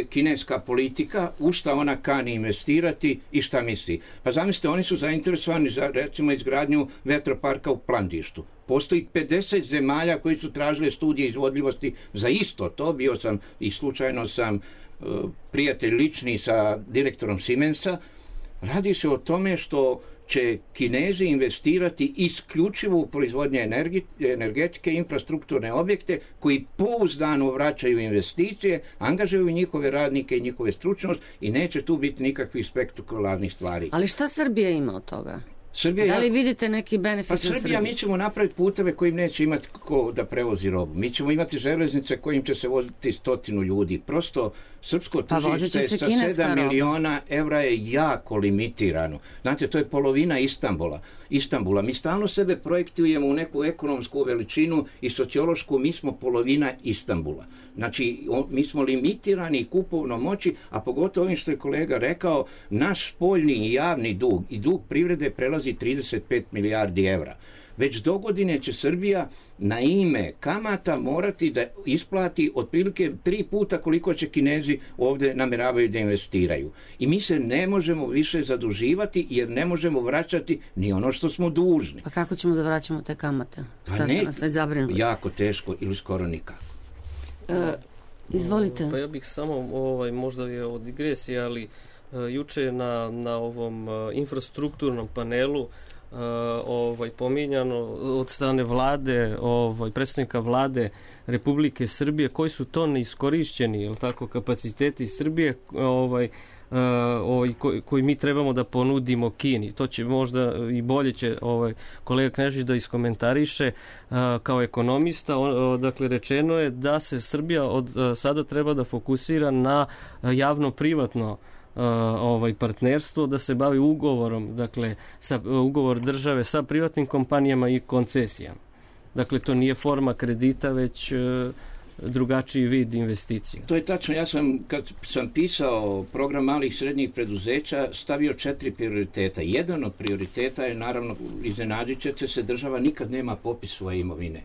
kineska politika, u šta ona kani investirati i šta misli. Pa zamislite, oni su zainteresovani za, recimo, izgradnju vetroparka u Plandištu. Postoji pedeset zemalja koji su tražile studije izvodljivosti za isto to. Bio sam i slučajno sam uh, prijatelj lični sa direktorom Siemensa. Radi se o tome što će Kinezi investirati isključivo u proizvodnje energetike, infrastrukturne objekte koji pouzdano vraćaju investicije, angažuju njihove radnike i njihove stručnost i neće tu biti nikakvih spektakularnih stvari. Ali šta Srbija ima od toga? Srbija, da li vidite neki benefit pa za Srbiju? Srbija, mi ćemo napraviti puteve kojim neće imati ko da prevozi robu. Mi ćemo imati železnice kojim će se voziti stotinu ljudi. Prosto srpsko tržište pa sa sedam miliona evra je jako limitirano. Znate, to je polovina Istanbula. Istanbula. Mi stalno sebe projektujemo u neku ekonomsku veličinu i sociološku, mi smo polovina Istanbula. Znači, o, mi smo limitirani kupovno moći, a pogotovo ovim što je kolega rekao, naš spoljni i javni dug i dug privrede prelazi trideset pet milijardi evra. Već do godine će Srbija na ime kamata morati da isplati otprilike tri puta koliko će Kinezi ovdje nameravaju da investiraju. I mi se ne možemo više zaduživati jer ne možemo vraćati ni ono što smo dužni. Pa kako ćemo da vraćamo te kamate? Pa ne, jako teško ili skoro nikako. E, izvolite. Pa ja bih samo, ovaj, možda je od digresije, ali uh, juče na, na ovom uh, infrastrukturnom panelu Uh, ovaj pominjano od strane vlade, ovaj predsjednika vlade Republike Srbije, koji su to neiskorišćeni, jel tako, kapaciteti Srbije, ovaj uh, ovaj koji, koji mi trebamo da ponudimo Kini. To će možda i bolje će ovaj kolega Knežević da iskomentariše uh, kao ekonomista. On, uh, dakle, rečeno je da se Srbija od uh, sada treba da fokusira na uh, javno-privatno Uh, ovaj partnerstvo, da se bavi ugovorom, dakle sa, uh, ugovor države sa privatnim kompanijama i koncesijama. Dakle, to nije forma kredita, već uh, drugačiji vid investicija. To je tačno. Ja sam, kad sam pisao program malih i srednjih preduzeća, stavio četiri prioriteta. Jedan od prioriteta je, naravno, iznenadit ćete se, država nikad nema popis svoje imovine.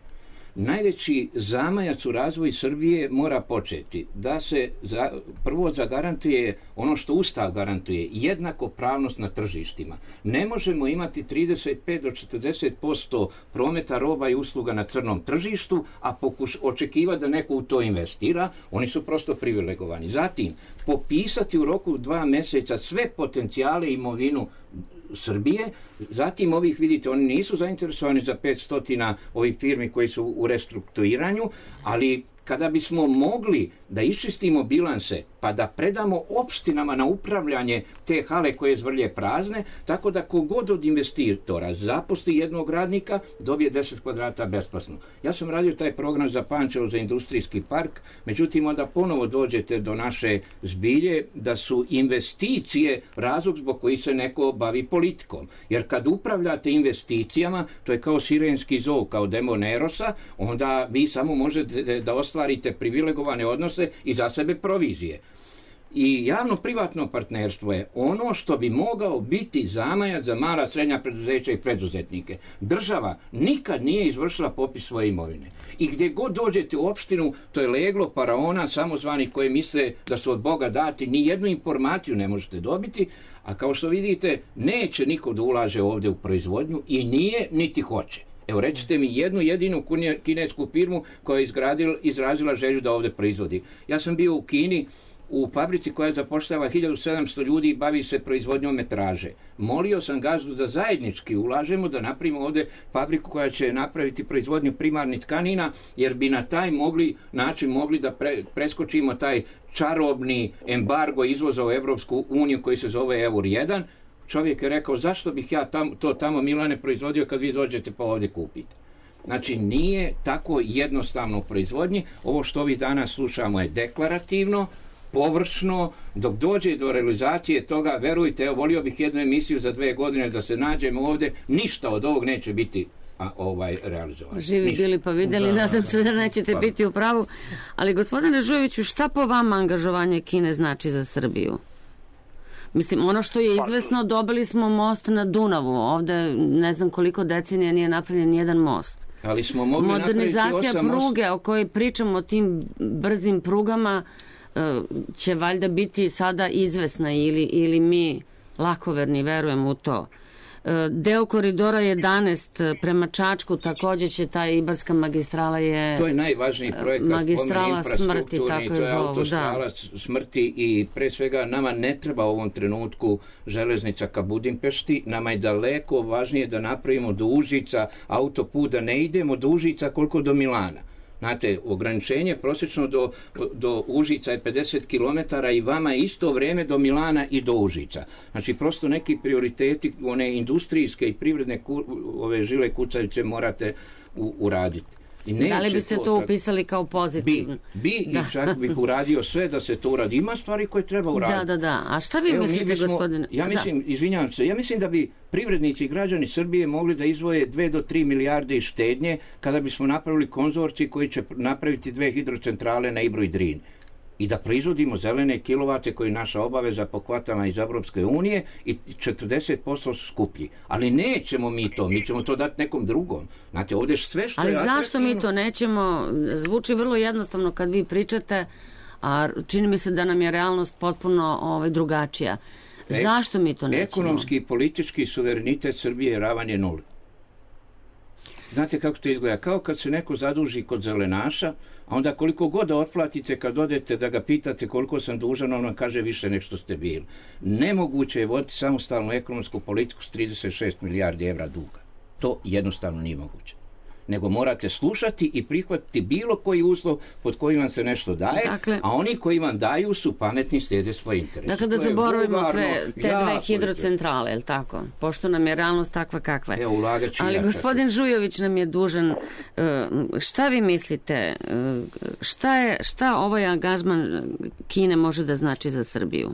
Najveći zamajac u razvoju Srbije mora početi da se za, prvo zagarantuje ono što Ustav garantuje, jednakopravnost na tržištima. Ne možemo imati trideset pet do četrdeset posto prometa roba i usluga na crnom tržištu, a pokuš, očekivati da neko u to investira, oni su prosto privilegovani. Zatim, popisati u roku dva mjeseca sve potencijale i imovinu Srbije, zatim ovih, vidite, oni nisu zainteresovani za petsto ovih firmi koji su u restrukturiranju, ali kada bismo mogli da iščistimo bilanse pa da predamo opštinama na upravljanje te hale koje zvrlje prazne, tako da kogod od investitora zaposli jednog radnika, dobije deset kvadrata besplatno. Ja sam radio taj program za Pančevo, za industrijski park, međutim onda ponovo dođete do naše zbilje da su investicije razlog zbog koji se neko bavi politikom. Jer kad upravljate investicijama, to je kao sirenski zov, kao demon Erosa, onda vi samo možete da ostvarite privilegovane odnose i za sebe provizije. I javno-privatno partnerstvo je ono što bi mogao biti zamajac za mala, srednja preduzeća i preduzetnike. Država nikad nije izvršila popis svoje imovine. I gdje god dođete u opštinu, to je leglo faraona samozvanih koji misle da su od Boga dati, ni jednu informaciju ne možete dobiti, a kao što vidite, neće niko da ulaže ovdje u proizvodnju i nije, niti hoće. Evo, recite mi jednu jedinu kinesku firmu koja je izgradila, izrazila želju da ovdje proizvodi. Ja sam bio u Kini, u fabrici koja zapošljava hiljadu sedamsto ljudi i bavi se proizvodnjom metraže. Molio sam gazdu da zajednički ulažemo, da napravimo ovdje fabriku koja će napraviti proizvodnju primarnih tkanina, jer bi na taj mogli, način mogli da pre, preskočimo taj čarobni embargo izvoza u Evropsku uniju koji se zove Eur jedan. Čovjek je rekao, zašto bih ja tam, to tamo, Milane, proizvodio kad vi dođete pa ovdje kupite. Znači, nije tako jednostavno u proizvodnji. Ovo što vi danas slušamo je deklarativno, površno, dok dođe do realizacije toga, verujte, evo, volio bih jednu emisiju za dve godine da se nađemo ovdje, ništa od ovog neće biti a, ovaj realizovano. Živi ništa. Bili pa vidjeli, da, nadam se da nećete pa. biti u pravu. Ali, gospodine Žujoviću, šta po vama angažovanje Kine znači za Srbiju? Mislim, ono što je izvesno, dobili smo most na Dunavu. Ovdje ne znam koliko decenija nije napravljen jedan most. Ali smo mogli modernizacija pruge o kojoj pričamo, o tim brzim prugama, će valjda biti sada izvesna ili, ili mi lakoverni verujemo u to. Deo koridora jedanaest prema Čačku, također će ta Ibarska magistrala je... To je najvažniji projekat, magistrala smrti, tako to je autostrala da. smrti i pre svega nama ne treba u ovom trenutku železnica ka Budimpešti, nama je daleko važnije da napravimo do Užica autoput, da ne idemo do Užica koliko do Milana. Znate, ograničenje prosječno do, do Užica je pedeset kilometara i vama je isto vrijeme do Milana i do Užica. Znači, prosto neki prioriteti, one industrijske i privredne ku, ove žile kucavice morate u, uraditi. I da li biste to, to upisali kao pozitivno? Bi, bi da. I čak bih uradio sve da se to uradi. Ima stvari koje treba uraditi. Da, da, da. A šta vi Evo, mislite, bismo, gospodine? Ja mislim, da. izvinjavam se, ja mislim da bi privrednici i građani Srbije mogli da izdvoje dve do tri milijarde iz štednje kada bismo napravili konzorcij koji će napraviti dve hidrocentrale na Ibru i Drini. I da proizvodimo zelene kilovate koji je naša obaveza po kvotama iz Evropske unije i četrdeset posto skuplji. Ali nećemo mi to, mi ćemo to dati nekom drugom. Znate, ovdje sve što Ali je zašto atraktivno... mi to nećemo? Zvuči vrlo jednostavno kad vi pričate, a čini mi se da nam je realnost potpuno ovaj, drugačija. Zašto mi to nećemo? Ekonomski i politički suverenitet Srbije je ravan je nuli. Znate kako to izgleda? Kao kad se neko zaduži kod zelenaša, a onda koliko god da otplatite kad odete da ga pitate koliko sam dužan, on vam kaže više nek što ste bili. Nemoguće je voditi samostalnu ekonomsku politiku s trideset šest milijardi evra duga. To jednostavno nije moguće. Nego morate slušati i prihvatiti bilo koji uslov pod kojim vam se nešto daje, dakle, a oni koji vam daju su pametni, slijede svoje interese. Dakle, da zaboravimo te, te dve hidrocentrale, je li tako? Pošto nam je realnost takva kakva je. Evo, ulagači Ali jačati. Gospodin Žujović nam je dužan. Šta vi mislite? Šta, je, šta ovaj angažman Kine može da znači za Srbiju?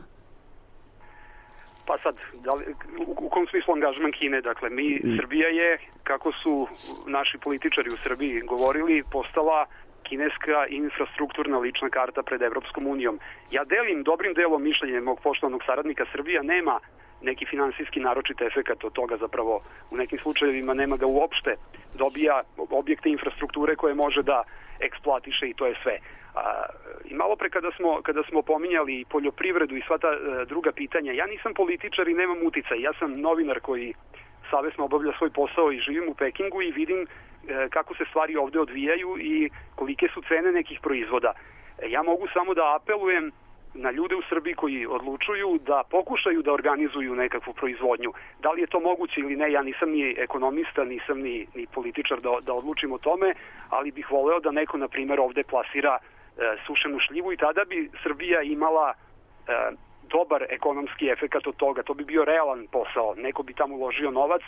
Pa sad, da li, u, u kom smislu angažman Kine? Dakle, mi, Srbija je, kako su naši političari u Srbiji govorili, postala kineska infrastrukturna lična karta pred Evropskom unijom. Ja delim dobrim delom mišljenje mog poštovanog saradnika. Srbija nema neki finansijski naročit efekat od toga, zapravo u nekim slučajevima nema ga uopšte, dobija objekte infrastrukture koje može da eksploatiše i to je sve. A, I malo pre kada smo, kada smo pominjali poljoprivredu i sva ta a, druga pitanja, ja nisam političar i nemam uticaj, ja sam novinar koji savesno obavlja svoj posao i živim u Pekingu i vidim a, kako se stvari ovde odvijaju i kolike su cene nekih proizvoda. E, ja mogu samo da apelujem na ljude u Srbiji koji odlučuju da pokušaju da organizuju nekakvu proizvodnju. Da li je to moguće ili ne, ja nisam ni ekonomista, nisam ni, ni političar da, da odlučim o tome, ali bih voleo da neko, na primjer, ovde plasira e, sušenu šljivu i tada bi Srbija imala e, dobar ekonomski efekat od toga. To bi bio realan posao. Neko bi tamo uložio novac,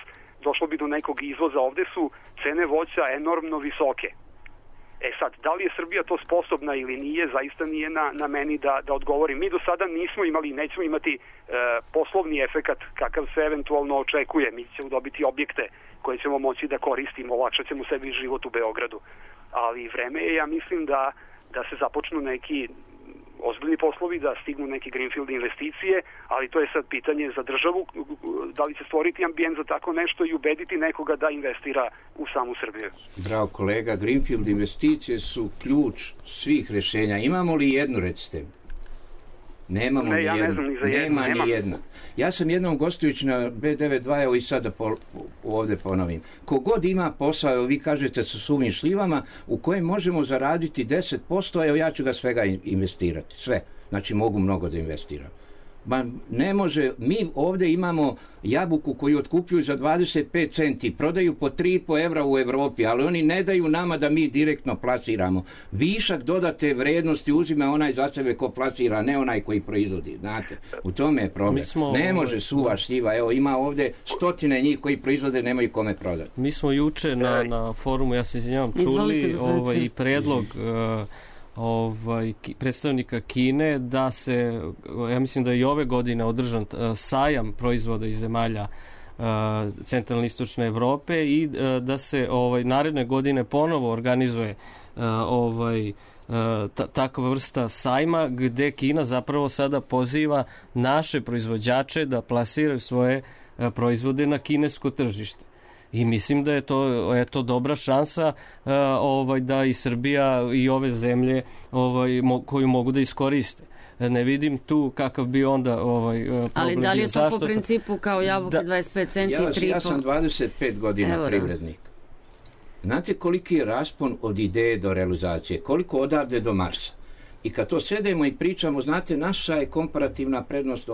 došlo bi do nekog izvoza. Ovde su cene voća enormno visoke. E sad, da li je Srbija to sposobna ili nije, zaista nije na, na meni da, da odgovorim. Mi do sada nismo imali i nećemo imati e, poslovni efekat kakav se eventualno očekuje. Mi ćemo dobiti objekte koje ćemo moći da koristimo, olakšat ćemo sebi život u Beogradu. Ali vreme je, ja mislim, da, da se započnu neki ozbiljni poslovi, da stignu neke greenfield investicije, ali to je sad pitanje za državu, da li će stvoriti ambijent za tako nešto i ubediti nekoga da investira u samu Srbiju. Bravo kolega, greenfield investicije su ključ svih rješenja. Imamo li jednu, recite? Nemamo ne, ni ja jednu. Ne znam ni za jednu. Nema, Nema ni jedna. Ja sam jednom gostujući na B devet dva, evo i sada po, ovdje ponovim. Kogod ima posao, evo vi kažete sa suvim šljivama, u kojem možemo zaraditi deset posto, evo ja ću ga svega investirati. Sve. Znači mogu mnogo da investiram. Ma ne može, mi ovdje imamo jabuku koju otkupljuju za dvadeset pet centi, prodaju po tri i po evra u Evropi, ali oni ne daju nama da mi direktno plasiramo. Višak dodate vrednosti uzima onaj za sebe ko plasira, ne onaj koji proizvodi, znate. U tome je problem. Smo, ne može suva šljiva, evo ima ovdje stotine njih koji proizvode, nemaju kome prodati. Mi smo juče na, na forumu, ja se izvinjavam, čuli ovaj, i predlog uh, ovaj, predstavnika Kine da se, ja mislim da je i ove godine održan uh, sajam proizvoda iz zemalja uh, centralne istočne Evrope i uh, da se ovaj, naredne godine ponovo organizuje uh, ovaj, uh, ta, takva vrsta sajma gde Kina zapravo sada poziva naše proizvođače da plasiraju svoje uh, proizvode na kinesko tržište. I mislim da je to eto dobra šansa uh, ovaj da i Srbija i ove zemlje ovaj mo, koju mogu da iskoriste. Ne vidim tu kakav bi onda ovaj problem. Ali da li je to Zašto po principu kao jabuke da, dvadeset pet centi ja, i tri i po? Ja sam dvadeset pet godina Evo privrednik. Znate koliki je raspon od ideje do realizacije? Koliko odavde do Marsa? I kad to sedemo i pričamo, znate, naša je komparativna prednost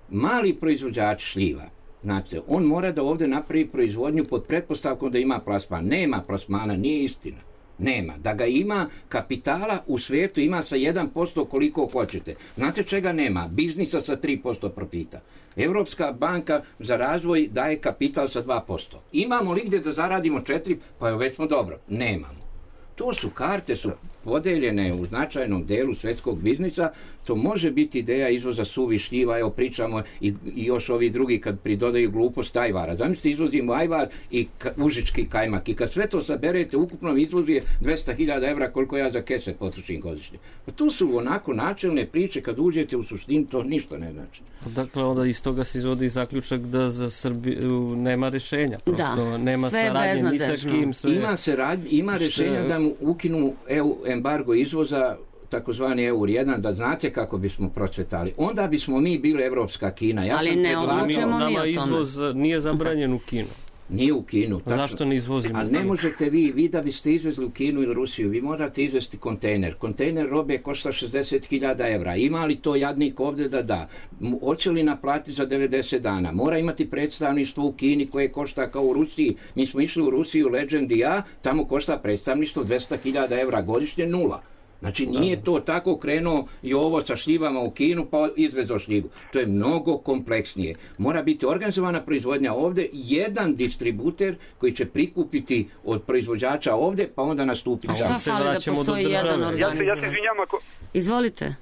mali proizvođač šljiva. Znate, on mora da ovdje napravi proizvodnju pod pretpostavkom da ima plasman. Nema plasmana, nije istina. Nema. Da ga ima, kapitala u svijetu ima sa jedan posto koliko hoćete. Znate čega nema? Biznisa sa tri posto profita. Evropska banka za razvoj daje kapital sa dva posto. Imamo li gdje da zaradimo četiri? Pa već smo dobro. Nemamo. To su karte, su podeljene u značajnom delu svjetskog biznisa. To može biti ideja izvoza suvi šljiva, evo pričamo i, i još ovi drugi kad pridodaju glupost ajvara. Zamislite, izvozimo ajvar i ka, užički kajmak i kad sve to saberete, ukupno izvoz je dvesta hiljada evra koliko ja za kese potrošim godišnje. Pa to su onako načelne priče, kad uđete u suštinu to ništa ne znači. Dakle, onda iz toga se izvodi zaključak da za Srbiju nema rješenja. Prosto da, nema saradnje ni sa kim. Sve... Ima, sarad, ima rješenja da mu ukinu E U embargo izvoza, takozvani E U R jedan, da znate kako bismo procvetali. Onda bismo mi bili evropska Kina. Ja Ali sam ne odlučujemo mi o tome. Nama izvoz nije zabranjen u Kinu. Nije u Kinu. Tačno. Zašto ne izvozimo? A ne možete vi, vi da biste izvezli u Kinu ili Rusiju, vi morate izvesti kontejner. Kontejner robe košta šezdeset hiljada evra. Ima li to jadnik ovdje da da? Hoće li naplatiti za devedeset dana? Mora imati predstavništvo u Kini koje košta kao u Rusiji. Mi smo išli u Rusiju, Legend i ja, tamo košta predstavništvo dvesta hiljada evra godišnje, nula. Znači nije to tako krenuo i ovo sa šljivama u Kinu pa izvezo šljivu. To je mnogo kompleksnije. Mora biti organizovana proizvodnja ovdje, jedan distributer koji će prikupiti od proizvođača ovdje pa onda nastupiti. A šta fali da postoji jedan organizovan? Ja se izvinjam ako... Izvolite.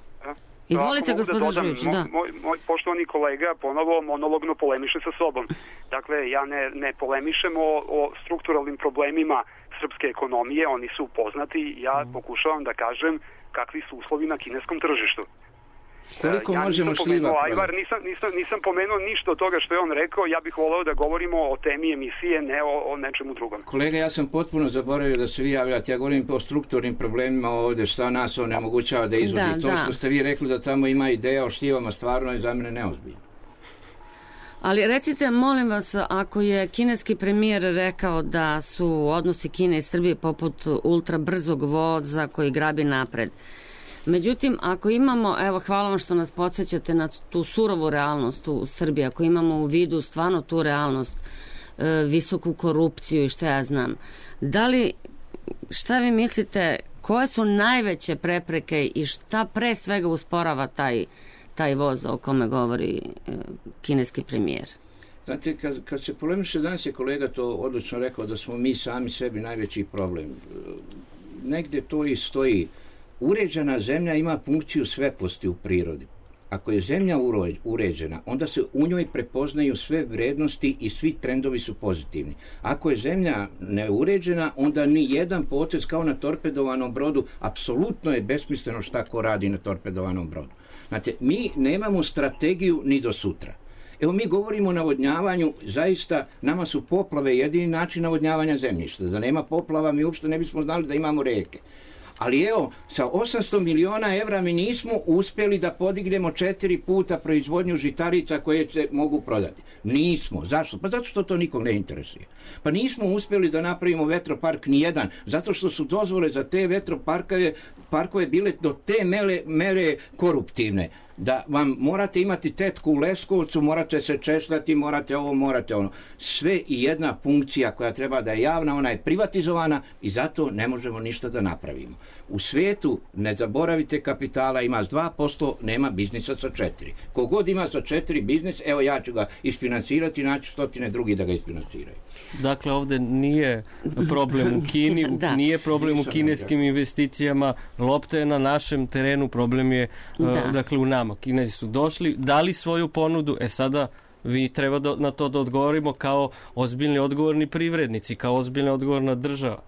Izvolite, gospodin Žujić, da. Moj, moj poštovani kolega ponovo monologno polemiše sa sobom. Dakle, ja ne, ne polemišem o, o strukturalnim problemima srpske ekonomije, oni su poznati, ja mm. pokušavam da kažem kakvi su uslovi na kineskom tržištu. Koliko ja možemo nisam pomenuo Ajvar, nisam, nisam, nisam pomenuo ništa od toga što je on rekao, ja bih voleo da govorimo o temi emisije, ne o, o nečemu drugom. Kolega, ja sam potpuno zaboravio da se vi javljate, ja govorim o strukturnim problemima ovdje, šta nas on nemogućava da izvozi. Da, to da. Što ste vi rekli da tamo ima ideja o štivama, stvarno je za mene neozbiljno. Ali recite, molim vas, ako je kineski premijer rekao da su odnosi Kine i Srbije poput ultra brzog voza koji grabi napred, međutim, ako imamo, evo, hvala vam što nas podsjećate na tu surovu realnost u Srbiji, ako imamo u vidu stvarno tu realnost, e, visoku korupciju i što ja znam, da li, šta vi mislite, koje su najveće prepreke i šta pre svega usporava taj, taj voz o kome govori e, kineski premijer? Znate, kad, kad se polemiše, danas je kolega to odlično rekao da smo mi sami sebi najveći problem. Negde to i stoji. Uređena zemlja ima funkciju svetlosti u prirodi. Ako je zemlja uređena, onda se u njoj prepoznaju sve vrednosti i svi trendovi su pozitivni. Ako je zemlja neuređena, onda ni jedan potez kao na torpedovanom brodu, apsolutno je besmisleno šta ko radi na torpedovanom brodu. Znate, mi nemamo strategiju ni do sutra. Evo, mi govorimo o navodnjavanju, zaista nama su poplave jedini način navodnjavanja zemljišta. Da nema poplava mi uopšte ne bismo znali da imamo reke. Ali evo, sa osamsto miliona evra mi nismo uspjeli da podignemo četiri puta proizvodnju žitarica koje se mogu prodati. Nismo. Zašto? Pa zato što to nikog ne interesuje. Pa nismo uspjeli da napravimo vetropark nijedan, zato što su dozvole za te vetroparkove parkove bile do te mere, mere koruptivne. Da vam morate imati tetku u Leskovcu, morate se češljati, morate ovo, morate ono. Sve i jedna funkcija koja treba da je javna, ona je privatizovana i zato ne možemo ništa da napravimo. U svijetu, ne zaboravite, kapitala ima s dva posto, nema biznisa sa četiri. Kogod ima sa četiri biznis, evo ja ću ga isfinansirati, naći stotine drugi da ga isfinansiraju. Dakle, ovdje nije problem u Kini, nije problem u kineskim investicijama, lopta je na našem terenu, problem je uh, dakle u nama. Kinezi su došli, dali svoju ponudu, e sada vi treba do, na to da odgovorimo kao ozbiljni odgovorni privrednici, kao ozbiljna odgovorna država.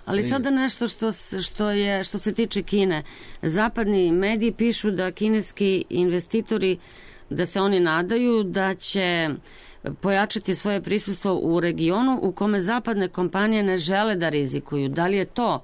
Ali sada nešto što, što, je, što se tiče Kine. Zapadni mediji pišu da kineski investitori, da se oni nadaju da će pojačati svoje prisustvo u regionu u kome zapadne kompanije ne žele da rizikuju. Da li je to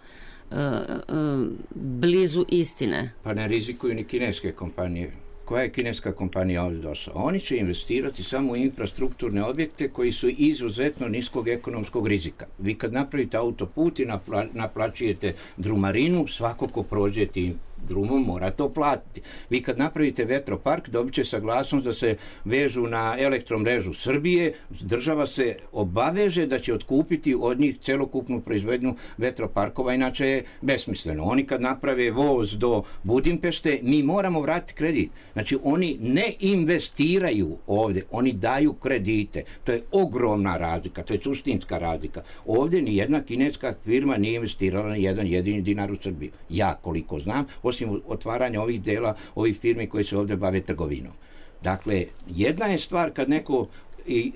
uh, uh, blizu istine? Pa ne rizikuju ni kineske kompanije. Koja je kineska kompanija ovdje došla? Oni će investirati samo u infrastrukturne objekte koji su izuzetno niskog ekonomskog rizika. Vi kad napravite autoput i napla, naplaćujete drumarinu, svako ko prođe tim drumom mora to platiti. Vi kad napravite vetropark, dobit će saglasnost da se vežu na elektromrežu Srbije, država se obaveže da će otkupiti od njih celokupnu proizvodnju vetroparkova, inače je besmisleno. Oni kad naprave voz do Budimpešte, mi moramo vratiti kredit. Znači, oni ne investiraju ovdje, oni daju kredite. To je ogromna razlika, to je suštinska razlika. Ovdje ni jedna kineska firma nije investirala ni jedan jedini dinar u Srbiju. Ja, koliko znam, osim otvaranja ovih dela, ovih firmi koji se ovdje bave trgovinom. Dakle, jedna je stvar kad neko i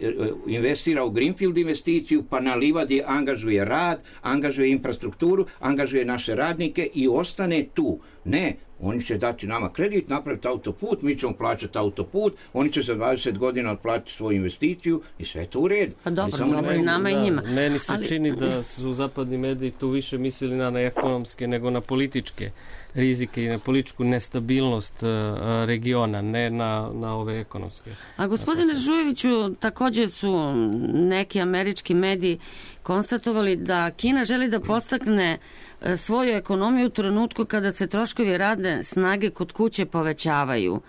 investira u Greenfield investiciju, pa na livadi angažuje rad, angažuje infrastrukturu, angažuje naše radnike i ostane tu. Ne, oni će dati nama kredit, napraviti autoput, mi ćemo plaćati autoput, oni će za dvadeset godina otplatiti svoju investiciju i sve to u redu. Pa dobro, dobro i nama i njima. Meni se Ali... čini da su zapadni mediji tu više mislili na, na ekonomske nego na političke rizike i na političku nestabilnost uh, regiona, ne na, na ove ekonomske. A gospodine Žujeviću, također su neki američki mediji konstatovali da Kina želi da postakne svoju ekonomiju u trenutku kada se troškovi radne snage kod kuće povećavaju,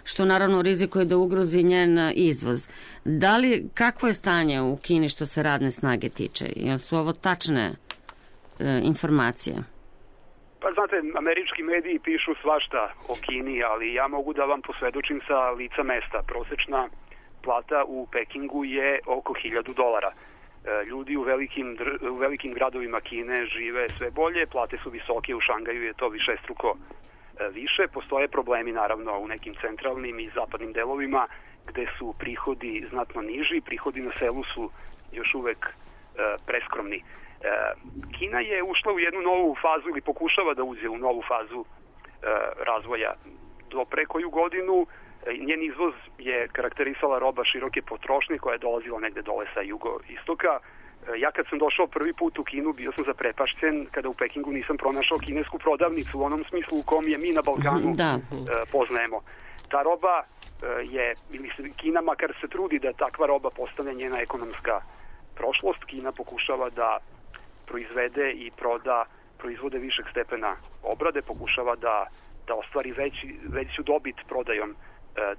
što naravno rizikuje da ugrozi njen izvoz. Da li, kakvo je stanje u Kini što se radne snage tiče? Jel su ovo tačne e, informacije? Pa znate, američki mediji pišu svašta o Kini, ali ja mogu da vam posvedočim sa lica mesta. Prosečna plata u Pekingu je oko hiljadu dolara. Ljudi u velikim, u velikim gradovima Kine žive sve bolje, plate su visoke, u Šangaju je to višestruko više. Postoje problemi naravno u nekim centralnim i zapadnim delovima gde su prihodi znatno niži, prihodi na selu su još uvek preskromni. Kina je ušla u jednu novu fazu ili pokušava da uđe u novu fazu razvoja. Do pre koju godinu njen izvoz je karakterisala roba široke potrošnje koja je dolazila negde dole sa jugoistoka. Ja kad sam došao prvi put u Kinu bio sam zaprepašćen kada u Pekingu nisam pronašao kinesku prodavnicu u onom smislu u kom je mi na Balkanu da. poznajemo. Ta roba je, ili Kina makar se trudi da takva roba postane njena ekonomska prošlost. Kina pokušava da proizvede i proda proizvode višeg stepena obrade, pokušava da, da ostvari veći, veću dobit prodajom e,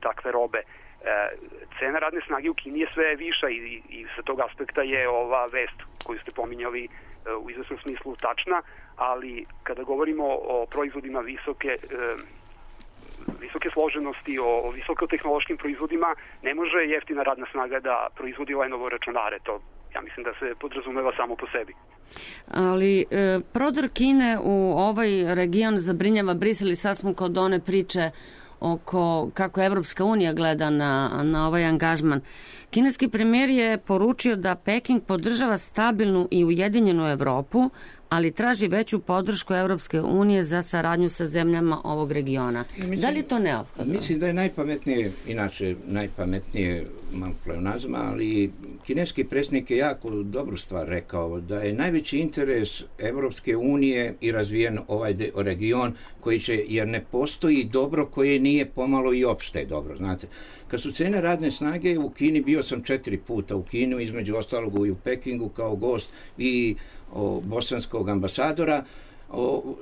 takve robe. E, cena radne snage u Kini je sve viša i, i, i sa tog aspekta je ova vest koju ste pominjali e, u izvesnom smislu tačna, ali kada govorimo o proizvodima visoke e, visoke složenosti, o, o visokotehnološkim proizvodima, ne može jeftina radna snaga da proizvodi Lenovo računare. To ja mislim da se podrazumeva samo po sebi. Ali e, prodor Kine u ovaj region zabrinjava Brisel i sad smo kod one priče oko kako Evropska unija gleda na, na ovaj angažman. Kineski premijer je poručio da Peking podržava stabilnu i ujedinjenu Evropu, ali traži veću podršku Evropske unije za saradnju sa zemljama ovog regiona. Mislim, da li je to neophodno? Mislim da je najpametnije, inače najpametnije malo pleonazma, ali kineski predsjednik je jako dobru stvar rekao, da je najveći interes Evropske unije i razvijen ovaj de, region koji će, jer ne postoji dobro koje nije pomalo i opšte dobro, znate. Kad su cene radne snage u Kini, bio sam četiri puta u Kinu, između ostalog i u Pekingu kao gost i o, bosanskog ambasadora. O,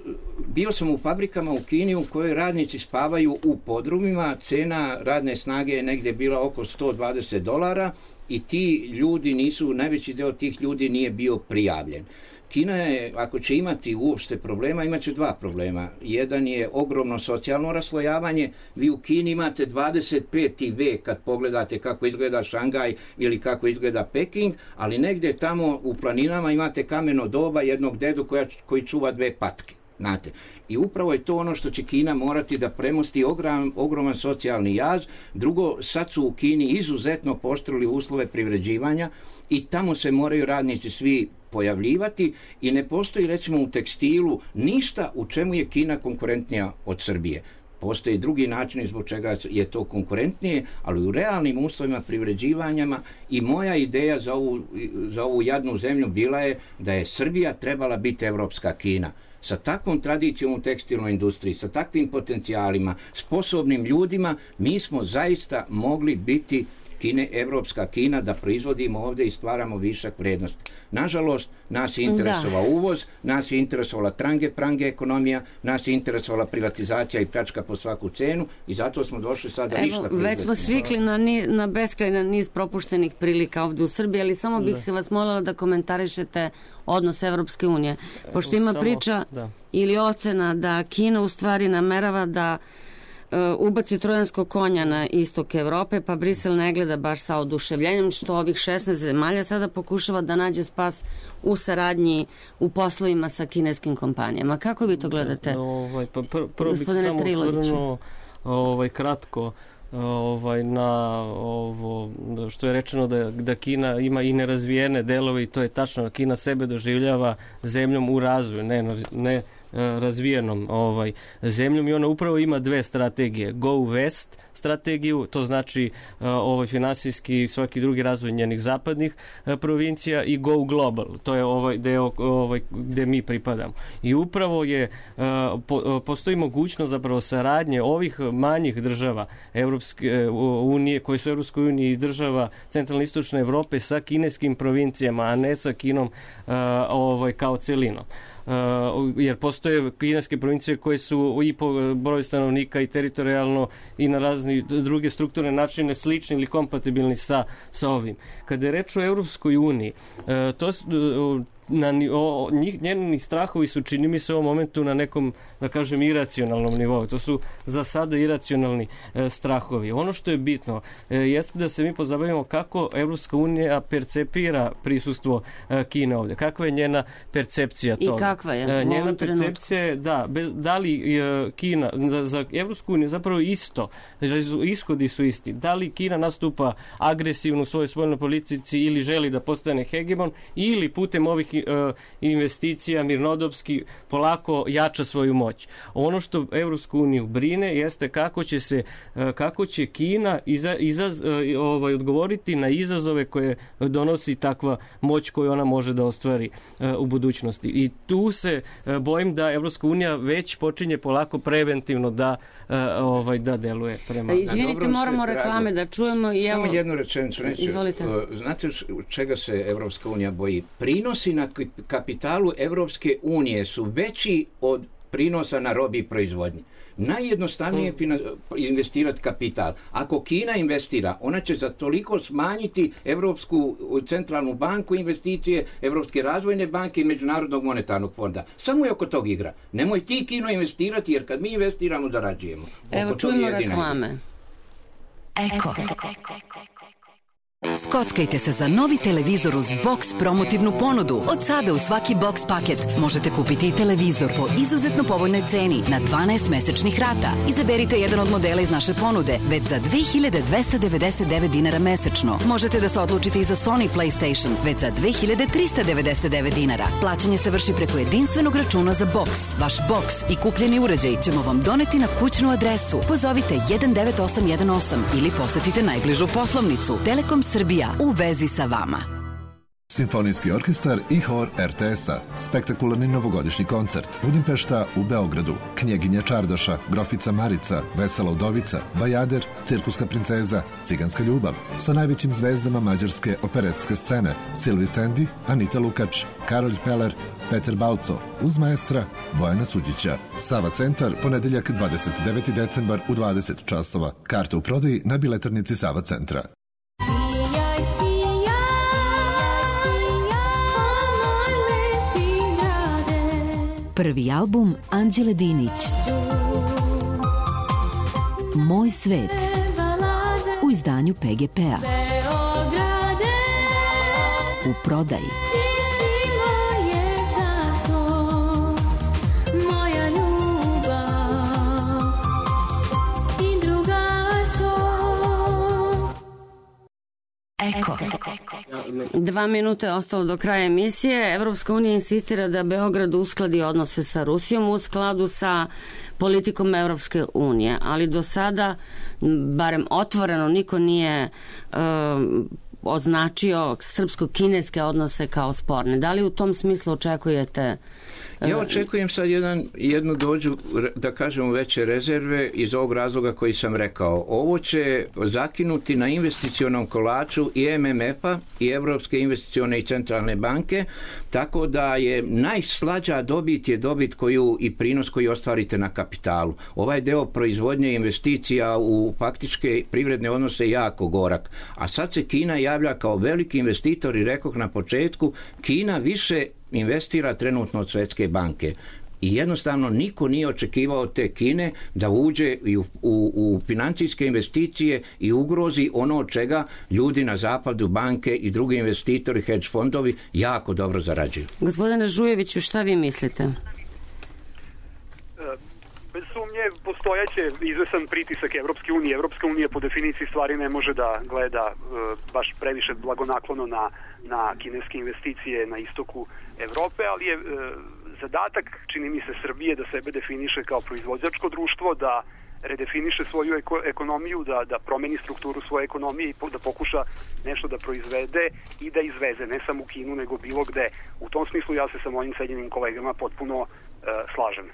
bio sam u fabrikama u Kini u kojoj radnici spavaju u podrumima, cena radne snage je negdje bila oko sto dvadeset dolara i ti ljudi nisu, najveći deo tih ljudi nije bio prijavljen. Kina je, ako će imati uopšte problema, imat će dva problema. Jedan je ogromno socijalno raslojavanje. Vi u Kini imate dvadeset peti vek kad pogledate kako izgleda Šangaj ili kako izgleda Peking, ali negdje tamo u planinama imate kameno doba jednog dedu koja, koji čuva dve patke. Znate. I upravo je to ono što će Kina morati da premosti ogrom, ogroman socijalni jaz. Drugo, sad su u Kini izuzetno pooštrili uslove privređivanja i tamo se moraju radnici svi pojavljivati i ne postoji recimo u tekstilu ništa u čemu je Kina konkurentnija od Srbije. Postoji drugi način zbog čega je to konkurentnije, ali u realnim uslovima privređivanjama i moja ideja za ovu, za ovu jadnu zemlju bila je da je Srbija trebala biti evropska Kina. Sa takvom tradicijom u tekstilnoj industriji, sa takvim potencijalima, sposobnim ljudima, mi smo zaista mogli biti Kine, evropska Kina, da proizvodimo ovdje i stvaramo višak vrednosti. Nažalost, nas je interesovao da. uvoz, nas je interesovala trange, prange ekonomija, nas je interesovala privatizacija i pljačka po svaku cenu i zato smo došli sad da ništa proizvodimo. Već smo svikli na, ni, na beskrajan niz propuštenih prilika ovdje u Srbiji, ali samo bih da. vas molila da komentarišete odnos Evropske unije. Pošto ima samo, priča da. ili ocena da Kina u stvari namerava da ubaci trojanskog konja na istok Evrope, pa Brisel ne gleda baš sa oduševljenjem što ovih šesnaest zemalja sada pokušava da nađe spas u saradnji u poslovima sa kineskim kompanijama. Kako vi to gledate, da, ovaj, pa pr prvo bih samo osvrnuo ovaj, kratko ovaj, na ovo što je rečeno da, da Kina ima i nerazvijene delove i to je tačno. Kina sebe doživljava zemljom u razvoju, ne, ne razvijenom ovaj zemljom i ona upravo ima dve strategije. Go West strategiju, to znači uh, ovaj finansijski i svaki drugi razvoj njenih zapadnih uh, provincija i Go Global. To je ovaj deo ovaj gde mi pripadamo. I upravo je uh, po, postoji mogućnost zapravo saradnje ovih manjih država Evropske uh, unije, koje su Evropskoj uniji i država centralne istočne Evrope sa kineskim provincijama, a ne sa Kinom uh, ovaj kao celinom. Uh, jer postoje kineske provincije koje su i po broju stanovnika i teritorijalno i na razni druge strukturne načine slični ili kompatibilni sa, sa ovim. Kada je reč o Europskoj uniji, uh, to uh, na, o, njih, njeni strahovi su, čini mi se, u ovom momentu na nekom, da kažem, iracionalnom nivou. To su za sada iracionalni e, strahovi. Ono što je bitno e, jeste da se mi pozabavimo kako Evropska unija percepira prisustvo e, Kine ovdje. Kakva je njena percepcija toga? I kakva je? E, njena percepcija je, da, bez, da li e, Kina, za, za Evropsku uniju zapravo isto, ishodi su isti. Da li Kina nastupa agresivno u svojoj spoljnoj politici ili želi da postane hegemon ili putem ovih nekih uh, investicija mirnodopski polako jača svoju moć. Ono što Evropsku uniju brine jeste kako će se uh, kako će Kina iza, izaz, uh, ovaj, odgovoriti na izazove koje donosi takva moć koju ona može da ostvari uh, u budućnosti. I tu se uh, bojim da Evropska unija već počinje polako preventivno da uh, ovaj da deluje prema. Izvinite, moramo reklame da čujemo i evo. Samo jednu rečenicu neću. Izvolite. Znate čega se Evropska unija boji? Prinosi na kapitalu Evropske unije su veći od prinosa na robi i proizvodnji. Najjednostavnije je investirati kapital. Ako Kina investira, ona će za toliko smanjiti Evropsku centralnu banku, investicije Evropske razvojne banke i Međunarodnog monetarnog fonda. Samo je oko tog igra. Nemoj ti Kino investirati, jer kad mi investiramo, zarađujemo. Evo, čujemo reklame. Eko. Skockajte se za novi televizor uz box promotivnu ponudu. Od sada u svaki box paket možete kupiti i televizor po izuzetno povoljnoj ceni na dvanaest mesečnih rata. Izaberite jedan od modela iz naše ponude već za dve hiljade dvesta devedeset devet dinara mesečno. Možete da se odlučite i za Sony PlayStation već za dve hiljade trista devedeset devet dinara. Plaćanje se vrši preko jedinstvenog računa za box. Vaš box i kupljeni uređaj ćemo vam doneti na kućnu adresu. Pozovite jedan devet osam jedan osam ili posetite najbližu poslovnicu. Telekom Srbija, u vezi sa vama. Simfonijski orkestar i hor er te es-a. Spektakularni novogodišnji koncert. Budimpešta u Beogradu. Knjeginja Čardaša, Grofica Marica, Vesela udovica, Bajader, Cirkuska princeza, Ciganska ljubav. Sa najvećim zvezdama mađarske operetske scene. Silvi Sendi, Anita Lukač, Karolj Peler, Peter Balco, uz maestra Bojana Suđića. Sava centar, ponedeljak dvadeset deveti decembar u dvadeset časova. Karte u prodaji na biletarnici Sava centra. Prvi album Anđele Dinić. Moj svet. U izdanju pe ge pe-a. U prodaji. Eko. Dva minute ostalo do kraja emisije. Evropska unija insistira da Beograd uskladi odnose sa Rusijom u skladu sa politikom Evropske unije, ali do sada, barem otvoreno, niko nije uh, označio srpsko-kineske odnose kao sporne. Da li u tom smislu očekujete? Ja očekujem sad jedan, jednu dođu, da kažemo, veće rezerve iz ovog razloga koji sam rekao. Ovo će zakinuti na investicionom kolaču i em em ef-a i Evropske investicione i centralne banke, tako da je najslađa dobit je dobit koju i prinos koji ostvarite na kapitalu. Ovaj deo proizvodnje investicija u faktičke privredne odnose je jako gorak. A sad se Kina javlja kao veliki investitor i rekoh na početku, Kina više investira trenutno od Svetske banke. I jednostavno niko nije očekivao od te Kine da uđe u, u, u financijske investicije i ugrozi ono od čega ljudi na zapadu, banke i drugi investitori, hedge fondovi jako dobro zarađuju. Gospodine Žujeviću, šta vi mislite? Bez sumnje postojaće izvesan pritisak Evropske unije. Evropska unija po definiciji stvari ne može da gleda e, baš previše blagonaklono na, na kineske investicije na istoku Evrope, ali je e, zadatak, čini mi se, Srbije da sebe definiše kao proizvođačko društvo, da redefiniše svoju eko, ekonomiju, da, da promeni strukturu svoje ekonomije i po, da pokuša nešto da proizvede i da izveze, ne samo u Kinu, nego bilo gde. U tom smislu ja se sa mojim cenjenim kolegama potpuno slažem.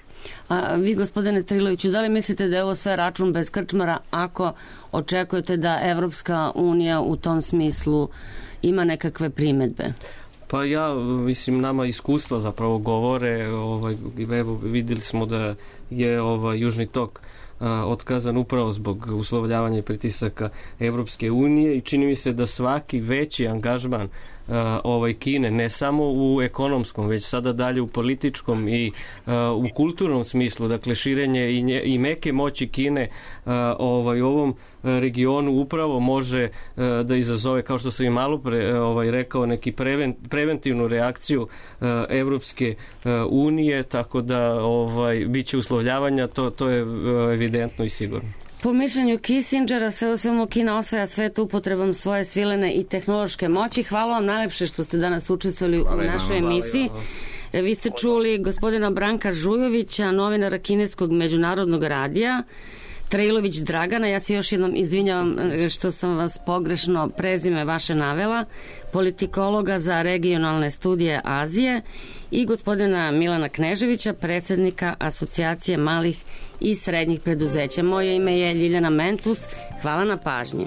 A vi, gospodine Triloviću, da li mislite da je ovo sve račun bez krčmara ako očekujete da Evropska unija u tom smislu ima nekakve primedbe? Pa ja, mislim, nama iskustva zapravo govore, ovaj, evo, vidjeli smo da je ovaj, Južni tok a, otkazan upravo zbog uslovljavanja i pritisaka Evropske unije i čini mi se da svaki veći angažman Uh, ovaj Kine, ne samo u ekonomskom, već sada dalje u političkom i uh, u kulturnom smislu, dakle širenje i, nje, i meke moći Kine uh, ovaj, u ovom regionu upravo može uh, da izazove, kao što sam i malo pre ovaj, rekao, neki preven, preventivnu reakciju uh, Evropske uh, unije, tako da ovaj, bit će uslovljavanja, to, to je uh, evidentno i sigurno. Po mišljenju Kissingera, sve u svemu Kina osvaja svet upotrebom svoje svilene i tehnološke moći. Hvala vam najlepše što ste danas učestvovali u našoj emisiji. Vi ste čuli gospodina Branka Žujovića, novinara kineskog međunarodnog radija, Trailović Dragana, ja se još jednom izvinjavam što sam vas pogrešno prezime vaše navela, politikologa za regionalne studije Azije, i gospodina Milana Kneževića, predsjednika Asocijacije malih i srednjih preduzeća. Moje ime je Ljiljana Mentus. Hvala na pažnji.